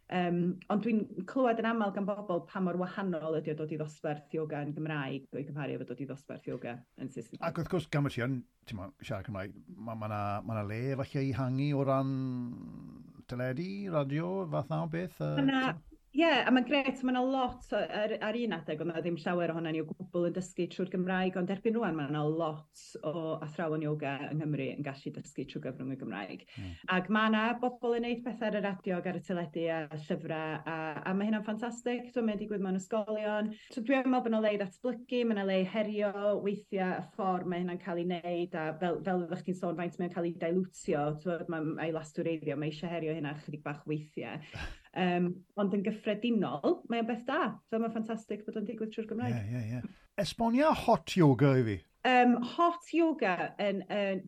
Um, ond dwi'n clywed yn aml gan bobl pa mor wahanol ydy o dod i ddosbarth yoga yn Gymraeg o'i gymharu efo dod i ddosbarth yoga yn Saesneg. Ac wrth gwrs, gan bod ti yn, ti'n mo, siarad Cymraeg, mae ma na, ma na le falle i hangu o ran teledu, radio, fath na o beth? Uh, Ma' 'na- Ie, yeah, a mae'n gret, mae yna lot o, ar, ar un adeg, oedd 'na ddim llawer ohonan ni o gwbl yn dysgu trwy'r Gymraeg, ond erbyn rwan mae yna lot o athrawon yoga yng Nghymru yn gallu dysgu trwy gyfrwng y Gymraeg. Mm. Ac mae yna bobl yn neud pethau ar y radio ac ar y teledu a llyfrau, a, a mae hynna'n ffantastig. So mae'n digwydd mewn ysgolion. So dwi'n meddwl bod yna le i ddatblygu, mae yna le i herio weithiau y ffordd mae hynna'n cael ei wneud, a fel, fel oeddech chi'n sôn, faint mae'n cael ei dilutio, mae ei lastwreiddio, mae eisiau herio hynna chydig bach weithiau. Um, ond yn gyffredinol, mae o'n beth da. So mae'n ffantastig bod o'n digwydd trwy'r Gymraeg. Ie, ie, ie. Esbonia hot yoga i fi. Um, hot yoga yn, yn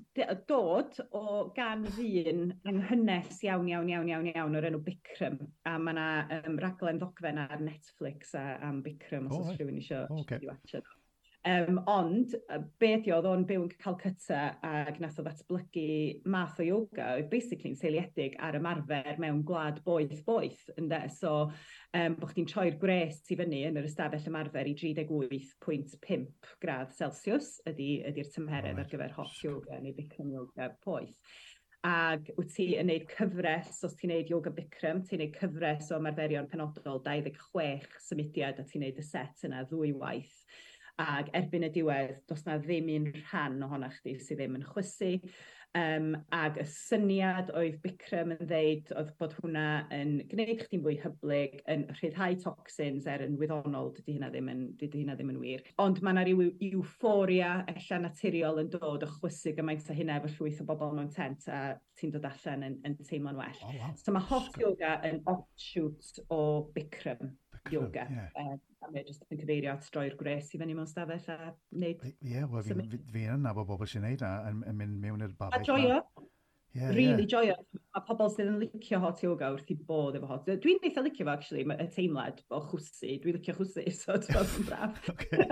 dod o gan ddyn anghynnes iawn, iawn, iawn, iawn, iawn o'r enw Bikram. A mae yna um, raglen ddogfen ar Netflix a, am Bikram os Oh, oes right. rhywun eisiau Oh, okay. i watchad. Um, ond, be ydi, oedd o'n byw yn Calcutta ac nath o ddatblygu math o yoga oedd basically yn seiliedig ar ymarfer mewn gwlad boeth boeth, ynde? So, um, bod chdi'n troi'r gwres i fyny yn yr ystafell ymarfer i tri deg wyth pwynt pump gradd Celsius ydy, ydy'r tymheredd right. ar gyfer hot yoga neu Bikram yoga poeth. Ac wyt ti yn neud cyfres, os ti'n neud yoga Bikram, ti'n neud cyfres o ymarferion penodol dau ddeg chwech symudiad a ti'n neud y set yna ddwy waith. Ac erbyn y diwedd, does na ddim un rhan ohono chdi sydd ddim yn chwysu. Um, ac y syniad oedd Bikram yn ddeud oedd bod hwnna yn gwneud chdi'n fwy hyblyg, yn rhyddhau toxins, er yn wyddonol, dydy hynna ddim yn, dydy hynna ddim yn wir. Ond mae yna ryw euphoria ella naturiol yn dod o chwysu gymaint o hynna efo llwyth o bobl mewn tent a ti'n dod allan yn, yn teimlo'n well. Oh, wow. So mae hot yoga yn offshoot o Bikram, Bikram yoga. Yeah. Uh, a mae jyst yn cyfeirio at droi'r gwres i fyny mewn stafell a wneud... Ie, yeah, wel, fi'n fi, fi yn nabod bobl sy'n neud a yn, yn mynd mewn i'r babell. A joio. Yeah, really yeah. Joio. Mae pobl sydd yn licio hot yoga wrth i bodd efo hot. Dwi'n eitha licio fo, actually, y teimlad o chwsu. Dwi'n licio chwsu, so ti'n yn braf. Okay.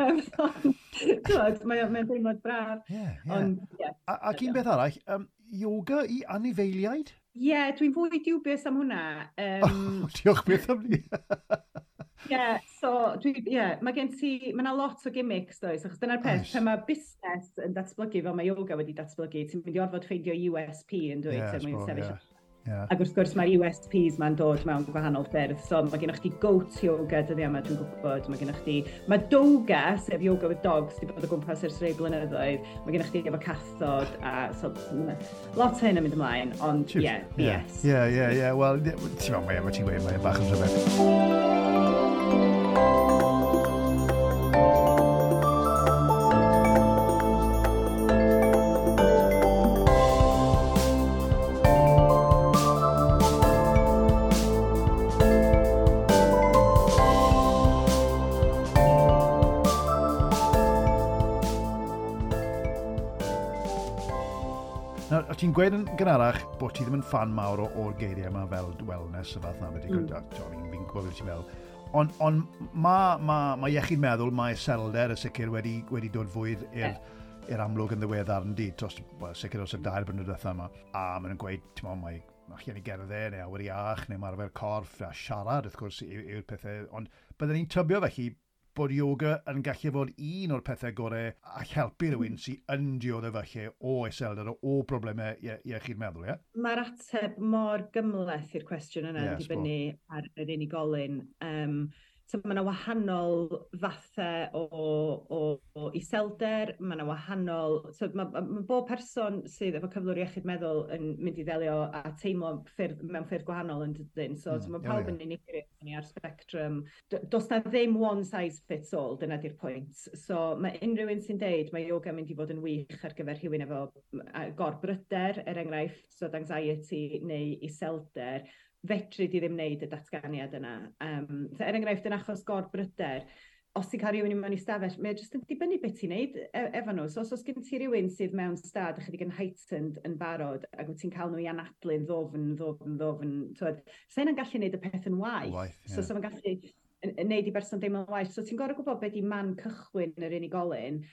Mae'n mae teimlad braf. Yeah, yeah. Ond, yeah. A, ac un beth arall, um, yoga i anifeiliaid? Ie, yeah, dwi'n fwy dubious am hwnna. Um, oh, diolch beth am ni. Ie, yeah, so dwi, yeah, mae gen ti, mae yna lot o gimmicks does, achos dyna'r peth, Oes. pan mae busnes yn datblygu fel mae yoga wedi datblygu, ti'n mynd i orfod ffeindio U S P yn dweud, yeah, er mwyn sefyll. Yeah. Yeah. Ac wrth gwrs mae'r U S Ps ma'n dod mewn gwahanol ffyrdd, so mae gennych chdi goat yoga dyddiau yma, dwi'n gwybod, mae gennych chdi, mae doga, sef yoga with dogs, di bod o gwmpas ers rhai blynyddoedd, mae gennych chdi efo cathod, a so lot o hyn yn mynd ymlaen, ond ie, yeah, B S. Ie, ie, ie, wel, ti'n meddwl, mae ti'n gweud, mae'n bach yn rhyfedd. Ti'n gweud yn gynharach bod ti ddim yn ffan mawr o'r geiriau yma fel wellness y fath na, wedi mm. fi'n fi gwybod beth ti'n meddwl. Ond on, mae ma, ma iechyd meddwl, mae iselder y sicr wedi, wedi dod fwy i'r yeah. i'r amlwg yn ddiweddar yn di, dros, well, sicr dros y dair blynedd diwetha yma. A maen nhw'n gweud, ti'n meddwl, mae allan i gerdded neu awyr iach neu marfer corff a siarad wrth gwrs yw'r pethau. Ond byddwn ni'n tybio felly bod yoga yn gallu fod un o'r pethau gorau a helpu rhywun sy'n yn dioddef falle o iselder, o broblemau iechyd meddwl, ie? Mae'r ateb mor gymhleth i'r cwestiwn yna, yeah, yn dibynnu ar yr unigolyn. Um, so mae yna wahanol fathau o, o, o iselder, mae yna wahanol... So mae, mae bob person sydd efo cyflwr iechyd meddwl yn mynd i ddelio a teimlo ffyrdd, mewn ffyrdd gwahanol yn dydyn. So, mm, so mae pawb yeah, yeah. yn unigryw ni ar spectrum. Does na ddim one size fits all, dyna di'r pwynt. So mae unrhyw un sy'n deud mae yoga mynd i fod yn wych ar gyfer rhywun efo gorbryder, er enghraifft, so anxiety neu iselder, fedri di ddim wneud y datganiad yna. Um, so er enghraifft, yn achos gorbryder, os ti'n cael rhywun i mewn i stafell, mae jyst yn dibynnu beth ti'n neud efo nhw. So os oes gen ti rhywun sydd mewn stad ychydig yn heightened yn barod, ac wyt ti'n cael nhw i anadlu'n ddofn, ddofn, ddofn, twyd, so hynna'n gallu neud y peth yn waeth. Waeth, yeah. So so ma'n gallu neud i berson deimlo'n waeth. So ti'n gorfod gwybod beth di man cychwyn yr unigolyn.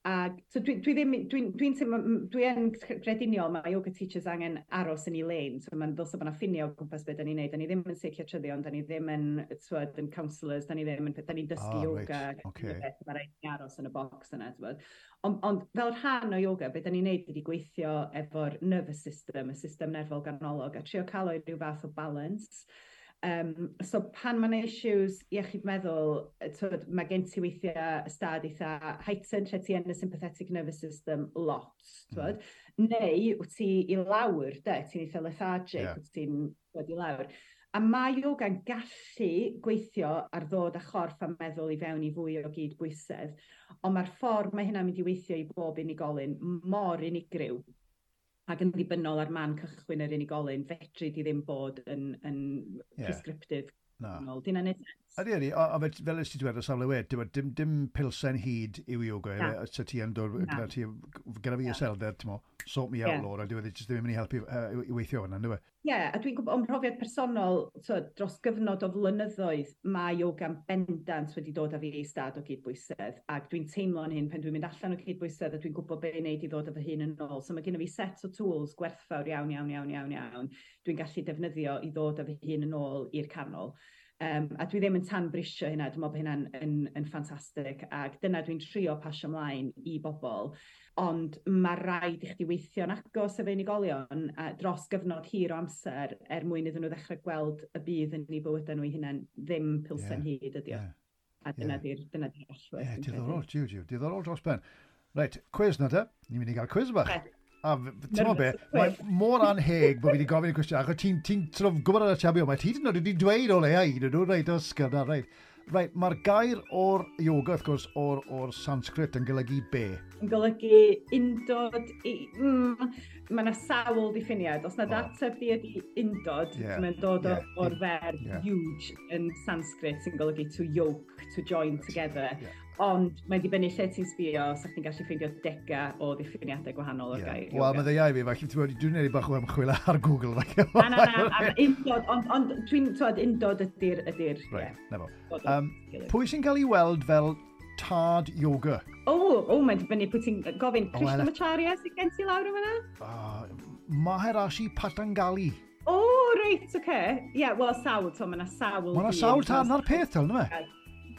A so dwi, dwi ddim, dwi'n dwi dwi, dwi yn grediniol, mae yoga teachers angen aros yn ei lane, so mae'n ddylse bod yna ffinia o gwmpas beth da ni'n neud, da ni ddim yn seiciatryddion, da ni ddim yn, twyd, yn counsellors, da ni ddim yn, da ni'n dysgu ah, yoga, right. Okay. Beth, mae rhaid ni aros yn y box yna, twyd. Ond on, fel rhan o yoga, beth da ni'n neud ydy gweithio efo'r nervous system, y system nerfol ganolog, a trio cael o'i rhyw fath o balance. Um, so pan mae'n issues iechyd meddwl, twyd, mae gen ti weithiau ystad eitha heightened, lle ti yn y sympathetic nervous system lot, twyd. Mm. Neu wyt ti i lawr, de, ti'n eitha lethargic, yeah. wyt ti'n dod i lawr. A mae yoga'n gallu gweithio ar ddod â chorff a meddwl i fewn i fwy o gydbwysedd, ond mae'r ffordd mae hynna'n mynd i weithio i bob unigolyn mor unigryw ac yn ddibynnol ar man cychwyn yr unigolyn, fedri di ddim bod yn, yn yeah. prescriptive. Na. Di hynna'n neud sens? Ydy, ydy. A, a fel ys ti dweud o safle wed, dim, dim pilsen hyd yw yoga, e, so ti yn dod, gyda ti, gyda fi iselder, ti'n mo, sort me out, yeah. Laura, dwi wedi jyst ddim yn mynd i helpu uh, i weithio hwnna, ynddo fe? Ie, yeah, a dwi'n gwybod o'm mhrofiad personol, so, dros gyfnod o flynyddoedd, mae yoga'n bendant wedi dod â fi i stad o gydbwysedd, ac dwi'n teimlo yn hyn pan dwi'n mynd allan o gydbwysedd a dwi'n gwybod be i wneud i ddod â fy hun yn ôl. So mae gen i fi set o tools gwerthfawr iawn, iawn, iawn, iawn, iawn, dwi'n gallu defnyddio i ddod â fy hun yn ôl i'r canol. Um, a dwi ddim yn tanbrisio hynna, dwi'n meddwl bod hynna'n yn, yn ffantastig, ac dyna dwi'n trio pasio ymlaen i bobl. Ond mae rhaid i chdi weithio'n agos efo unigolion a dros gyfnod hir o amser er mwyn iddyn nhw ddechrau gweld y budd yn eu bywydau nhw eu hunain, ddim pilsen Ie, hud ydi o. Ie, A dyna Ie. di'r dyna di'r allwedd. Ie, dwi'n credu. diddorol, jiw, jiw, diddorol dros ben. Reit, cwis na te. Ni'n mynd i gael cwis bach. Reit. A f- ti'n meddwl be, Nervous mae quiz. mor anheg bod fi wedi gofyn y cwestiwn, achos ti'n ti sort of gwybod ar y tabio, mae ti hyd yn oed wedi dweud o leia un nhw, reit, Oscar, na, reit. Reit, mae'r gair o'r yoga, wrth gwrs, o'r, or Sanskrit yn golygu be? Yn golygu undod, i, mm, mae yna sawl diffiniad. Os na O. ateb di ydi undod, Ie, mae'n dod o, ie, o'r ferf ie. yuj yn Sanskrit sy'n golygu to yoke, to join together. Ie. Ond mae'n dibynnu lle ti'n sbio, sa chdi'n gallu ffeindio dega o ddiffiniadau gwahanol o'r Ie. gair Wel, yoga. mae ddeia i fi, falle, ti'n gwbod, dwi'n gwneud bach o ymchwil ar Google. Falle. Na, na, na, am undod, ond, ond dwi'n, twod, undod ydy'r, ydy'r, Reit, ie, na fo. dod o Um, gilydd. pwy sy'n cael ei weld fel tad yoga? O, o, mae'n dibynnu pwy ti'n gofyn. O, wel, Krishnamacharya sydd gen ti lawr yma? Uh, Maharishi Patanjali. O, reit, oce. Ie, yeah, wel, sawl, to, mae yna sawl. Mae yna dyn, sawl tad ma' na'r peth, tal, na fe?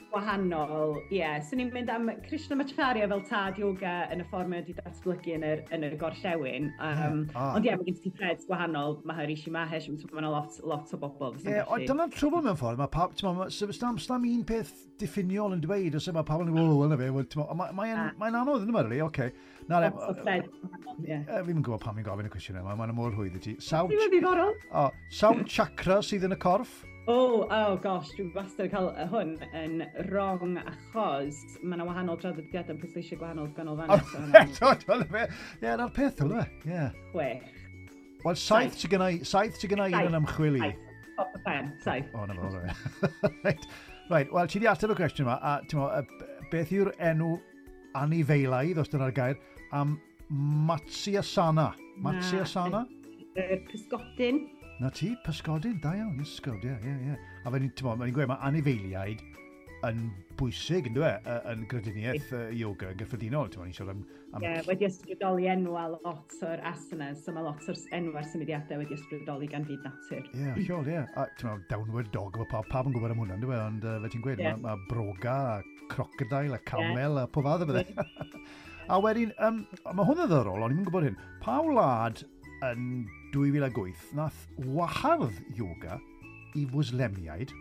Wahanol, ie. Yeah. So ni'n mynd am Krishnamacharya fel tad yoga yn y ffordd mae wedi datblygu yn yr, yn y gorllewin. Um, Ie, ah. Ond ie, yeah, mae gen ti threads gwahanol, Maharishi Mahesh, mae yna lot, lot o bobl. Ie, yeah, ond dyna'r trwbl mewn ffordd. Mae pawb, ti'n ma, stam, stam un peth diffiniol yn dweud, os mae pawb yn dweud, wel, na fe, wel, ti'n ma, mae'n Ah. mae anodd yn yma, really, oce. Na, le, Lot o threads gwahanol, ie. e, fi'n gwybod pam i'n gofyn y cwestiwn yma, mae'n mor rhwydd i ti. Sawl, Dwi'n ddiddorol. o, sawl chakra sydd yn y corff? Oh, oh gosh, dwi'n wastad yn cael hwn yn wrong achos mae yna wahanol draddodiadau yn pwysleisio gwahanol ganolfannau. So hwnna'n Eto, ti'n fe? Ie, na'r peth, yna fe? Ie. chwech. Wel, saith sydd gennau, saith sydd gennau un yn ymchwil i. Saith. Top y pen, saith. O, na fo, reit. Reit, Right, wel, ti di ateb y cwestiwn yma, a ti'n mo, beth yw'r enw anifeilaidd, os dyna'r gair, am Matsyasana? Matsyasana? Yr pysgodyn. Na ti, pysgodyn, da iawn, ysgod, ie, ie, ie. A fe ni'n, ti'n mo, mae'n gweud, mae anifeiliaid yn bwysig, yn dweud, yn grediniaeth uh, yoga yn gyffredinol, ti'n mo, ni'n siarad am... am Ie, wedi ysbrydoli enw a lot o'r asanas, so mae lot o'r enwau'r symudiadau wedi ysbrydoli gan fyd natur. Ie, yeah, hollol, ie. A ti'n mo, downward dog, mae pawb, pawb yn gwybod am hwnna, yn dweud, ond uh, fe ti'n gweud, Ie. mae ma broga, a crocodile, a camel, a pob fath o bethau. A wedyn, um, mae hwn yn ddiddorol, o'n i'n gwybod hyn. Pa wlad yn dwy fil ac wyth nath wahardd yoga i Fwslemiaid,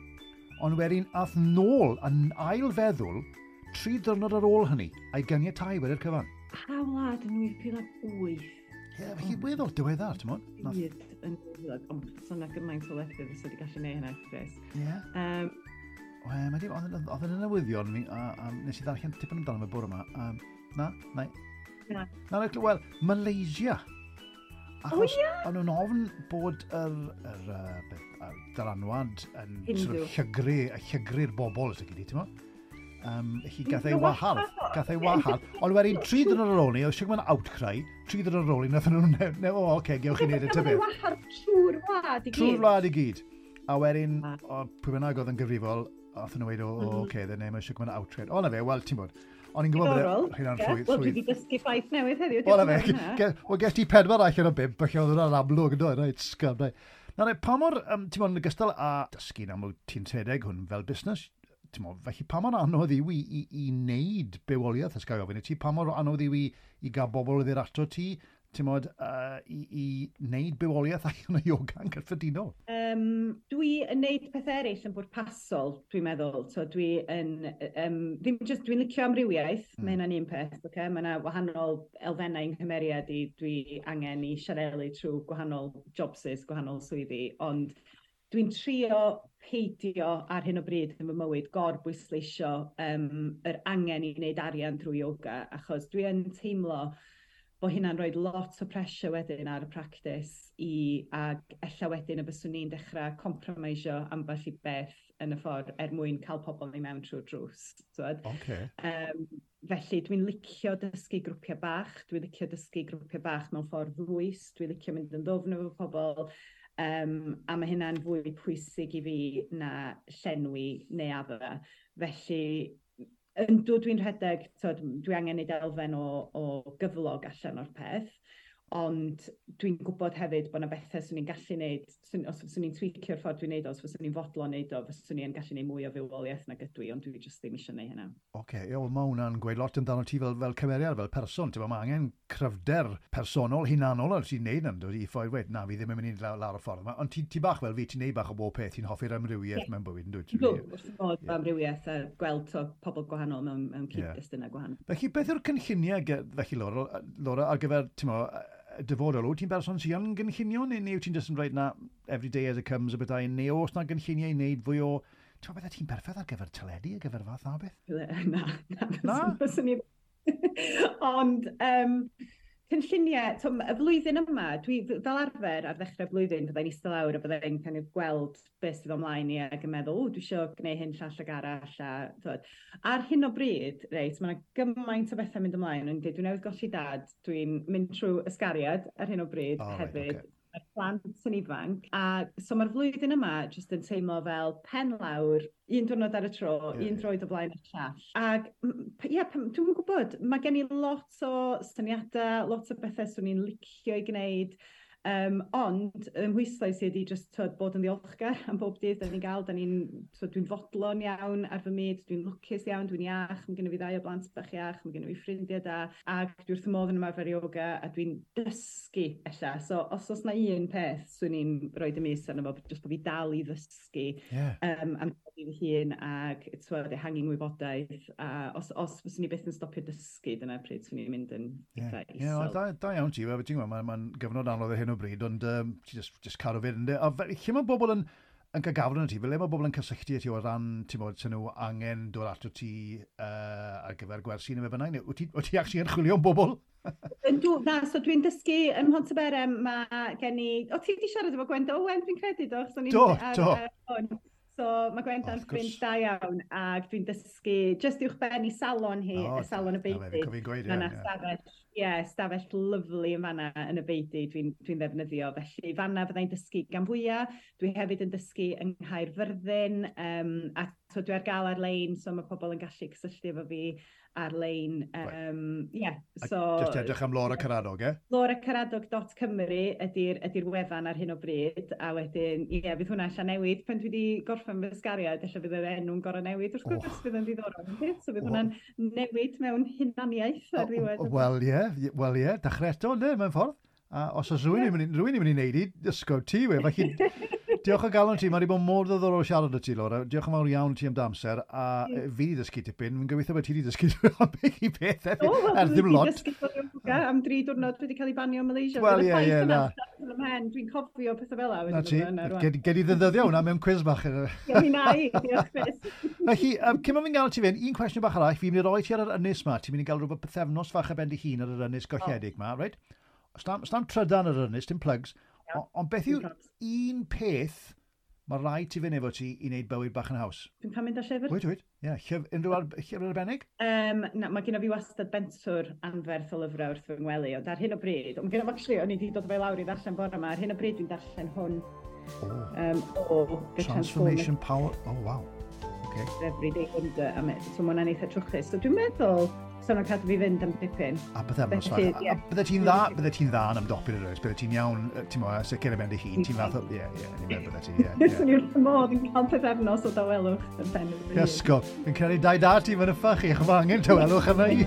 ond wedyn ath nôl yn ail feddwl tri diwrnod ar ôl hynny, a'i ganiatáu wedi'r cyfan? Pa wlad yn dwy fil ac wyth? Ie, yeah, felly weddol diweddar, ti'n modd? Nath... Byd yn dwy fil ac wyth, ond so yna gymaint o wledydd fysa wedi gallu neud hynna, Chris. Ie. Um, Wel, mae di, oedd oedd yn y newyddion, mi, a, a nes i ddarllen tipyn amdano fe bore yma. Um, na, na. Na. Na, na, wel, Malaysia. Achos O, ie? o'n nhw'n ofn bod yr, yr, uh, beth, y dylanwad yn sort Hindu. of llygru, y llygru'r bobl, os ydy, ti'n mo? Um, felly gath ei Nhw wahardd, wahardd. gath ei wahardd. Ond wedyn, tri dwrnod ar ôl ni, oedd siwr outcry, tri dwrnod ar ôl ni, nath nhw'n, ne, ne, o, oce, gewch chi wneud y Gafodd ei tyfu. wahardd trwy'r wlad i gyd. Trwy'r wlad i gyd. A wedyn, Ah. o, pwy bynnag oedd yn gyfrifol, athyn nhw weid, o, o, Mhm. oce, then name eisiau gwneud outcry. O, na fe, wel, ti'n bod. O'n i'n gwybod Diddorol. bod hynna'n Ie. rhwydd. Wel, dwi rhwydd. wedi dysgu ffaith newydd heddiw. O, na diolch fe, yn fawr am hynna. ge- wel, ges ti pedwar allan o bump, felly oedd hwnna'n amlwg, yn dod, reit, sgam, reit. Na, re, pa mor, um, ti'n bod, yn ogystal â dysgu'n amlwg ti'n rhedeg hwn fel busnes, ti'n bod, felly pa mor anodd yw i, i, i wneud bywoliaeth, os gael ofyn i ti, pa mor anodd yw i, i gael bobl i ddod ato ti, ti'n bod, uh, i, i wneud bywoliaeth allan o yoga yn gyffredinol? Um, dwi yn neud pethau eraill yn bwrpasol, dwi'n meddwl. So dwi yn, um, ddim just, dwi'n licio amrywiaeth, mm. Mm. mae hynna'n un peth, okay? Mae yna wahanol elfennau yng nghymeriad i, dwi angen i siarelu trwy gwahanol jobsys, gwahanol swyddi, ond dwi'n trio peidio ar hyn o bryd yn fy mywyd gorbwysleisio um, yr angen i wneud arian drwy yoga, achos dwi yn teimlo bod hynna'n rhoi lot o pressure wedyn ar y practice i, ac ella wedyn y byswn ni'n dechrau compromisio ambell i beth yn y ffordd er mwyn cael pobl i mewn trwy'r drws. T'wod? Oce. Um, felly dwi'n licio dysgu grwpiau bach, dwi'n licio dysgu grwpiau bach mewn ffordd ddwys, dwi'n licio mynd yn ddwfn efo pobl, Um, a mae hynna'n fwy pwysig i fi na llenwi neuaddau. Felly, yndw dwi'n rhedeg, tod, dwi angen neud elfen o, o gyflog allan o'r peth, ond dwi'n gwybod hefyd bod yna bethau swn i'n gallu neud, swn, os swn i'n tweakio'r ffordd dwi'n neud o, os fyswn i'n fodlon neud o, fyswn i'n gallu neud mwy o fywoliaeth nag ydw i, ond dwi jyst ddim eisiau neud hynna. Oce, okay, wel, mae hwnna'n gweud lot amdano ti fel, fel cymeriad, fel person. Ti'n mae angen cryfder personol, hunanol ar ti'n neud yn dod i ffordd wed, na, fi ddim yn mynd i lawr, lawr y ffordd yma. Ond ti, ti bach fel fi, ti'n neud bach o bob peth, ti'n hoffi'r amrywiaeth yeah. mewn bywyd, yn dwyt? Dwi, wrth fy modd yeah. amrywiaeth a gweld to, pobl gwahanol mewn, mewn cyd-destunau yeah. gwahanol. Felly, beth yw'r cynlluniau, felly, Laura, Laura ar gyfer, ti'n mo, dyfodol, wyt ti'n berson sy'n yn gynllunio, neu, neu wyt ti'n just yn rhaid na every day as it comes y bethau, neu oes na gynlluniau i wneud fwy o... Ti'n meddwl, bydde ti'n berffaith ar gyfer teledu, ar gyfer fath na beth? Na, na. Na? Fyswn i... Ond, um, cynlluniau, to, y flwyddyn yma, dwi fel arfer ar ddechrau blwyddyn, byddai'n eistedd lawr a byddai'n kind of gweld beth sydd ymlaen i ac yn meddwl, o, dwi eisiau gwneud hyn, llall ag arall. A, twod. Ar hyn o bryd, reit, mae yna gymaint o bethau mynd ymlaen. O'n dweud, dwi newydd golli dad, dwi'n mynd trwy ysgariad ar hyn o bryd oh, hefyd. Right, okay. Mae'r plant yn ifanc. A so mae'r flwyddyn yma jyst yn teimlo fel pen lawr, un diwrnod ar y tro, yeah, un droed o flaen y llall. Ac ie, yeah, dwi'n gwybod, mae gen i lot o syniadau, lot o bethau swn i'n licio i gwneud. Um, ond ym mhwyslais i ydi jyst twod, bod yn ddiolchgar am bob dydd da ni'n gael. Da ni'n, twod, dwi'n fodlon iawn ar fy myd, dwi'n lwcus iawn, dwi'n iach, mae gen i fi ddau o blant bach iach, mae gen i fi ffrindiau da, ac dwi wrth y modd yn ymarfer yoga a dwi'n dysgu ella. So os oes na un peth swn i'n rhoi y mis arno fo, jyst bod fi dal i ddysgu yeah. um, am fi fy hun ac twod, ehangu ngwybodaeth. A os, os fyswn i byth yn stopio dysgu, dyna pryd swn i'n mynd yn eitha yeah. isel. Ie, yeah, da, da iawn ti, ti'n gwybod, mae'n ma gyfnod anodd ar hyn o bryd, ond um, ti just, just cadw fynd. Ynde? A fe, lle mae bobl yn, yn cael gafel yn ti, fel le mae bobl yn cysylltu â ti o ran, ti'n bod, sy'n nhw angen dod ato ti uh, ar gyfer gwersi neu be bynnag, neu wyt ti, wyt ti actually yn chwilio am bobl? Yndw, na, so dwi'n dysgu ym Mhontyberem, mae gen i... O, ti wedi siarad efo Gwenda Owen, dwi'n credu, do? So do, ar, do. Ar, so mae Gwenda'n ffrind da iawn, ac dwi'n dysgu jyst uwch ben i salon hi, oh, y salon y beudy. Mae yna stafell, ie, stafell lyfli yn fanna yn y beudy dwi'n dwi ddefnyddio. Felly fanna fyddai'n dysgu gan fwyaf. Dwi hefyd yn dysgu yng Nghaerfyrddin, um, a so dwi ar gael ar-lein, so mae pobl yn gallu cysylltu efo fi ar-lein. Um, yeah, so, just edrych am Laura Caradog, eh? Laura Caradog dot Cymru ydy'r ydy wefan ar hyn o bryd, a wedyn, ie, yeah, fydd hwnna allan newid. Pan dwi wedi gorffen fy ysgariad, ella fydd yr enw'n gorau newid, wrth gwrs, oh. Fydd yn ddiddorol. So fydd oh. hwnna'n newid mewn hunaniaeth ar ddiwedd. Oh, wel, ie, yeah, wel, ie, yeah, dechrau eto, ynddo, mewn ffordd. A os oes rhywun yeah. rhywun i'n mynd i wneud i, ysgol ti, we, felly diolch o galon ti, mae wedi bod mor ddiddorol siarad â ti, Laura. Diolch yn fawr iawn ti am dy amser, a yeah. fi wedi dysgu tipyn, fi'n gobeithio bod ti wedi dysgu ambell i beth, oh, well, er ddim lot. Dwi wedi dysgu yoga am dri diwrnod, dwi wedi cael ei banio ym Malaysia. Wel, ie, ie, na. Dwi'n cofio pethau fel 'na. Na ti, gei di ddefnyddio hwnna mewn quiz bach. Ie, mi na i, diolch Chris. Felly, um, cyn bod fi'n gael ti fynd, un cwestiwn bach arall, fi'n mynd i roi ti ar yr ynys ma, ti'n mynd i gael rhywbeth pythefnos fach ar ben dy hun ar yr ynys golledig ma, reit? Stam, stam trydan ar yr ynys, dim plugs. Ond on beth yw un peth mae rhaid ti fynd efo ti i wneud bywyd bach yn haws? Dwi'n cael mynd â llyfr. Wyt, wyt. Ie, yeah, llyfr, unrhyw ar, llyfr arbennig? Um, na, mae gen i fi wastad bentwr anferth o lyfrau wrth fy ngwely, ond ar hyn o bryd, ond gen i actually, o'n i wedi dod o fe lawr i ddarllen bore yma, ar hyn o bryd dwi'n darllen hwn. Oh. Um, o The Transformation Power, oh wow. Okay. Everyday Wonder, a me, so mae hwnna'n eitha trwchus. So dwi'n meddwl, so nhw'n cadw fi fynd am dipyn. A bythefnos fach. Ie. A bydde ti'n dda, bydde ti'n dda yn ymdopi ar yr bydde ti'n iawn, ti'n mo, sicr ar ben dy hun, ti'n fath o, ie, ie, ni'n meddwl bydde ti, ie. Ie. Swn i wrth y modd yn cael pythefnos o dawelwch yn pen fy hun. Iesgob, fi'n credu dau da ti, mae'n yffach i, chwa angen tawelwch yna i.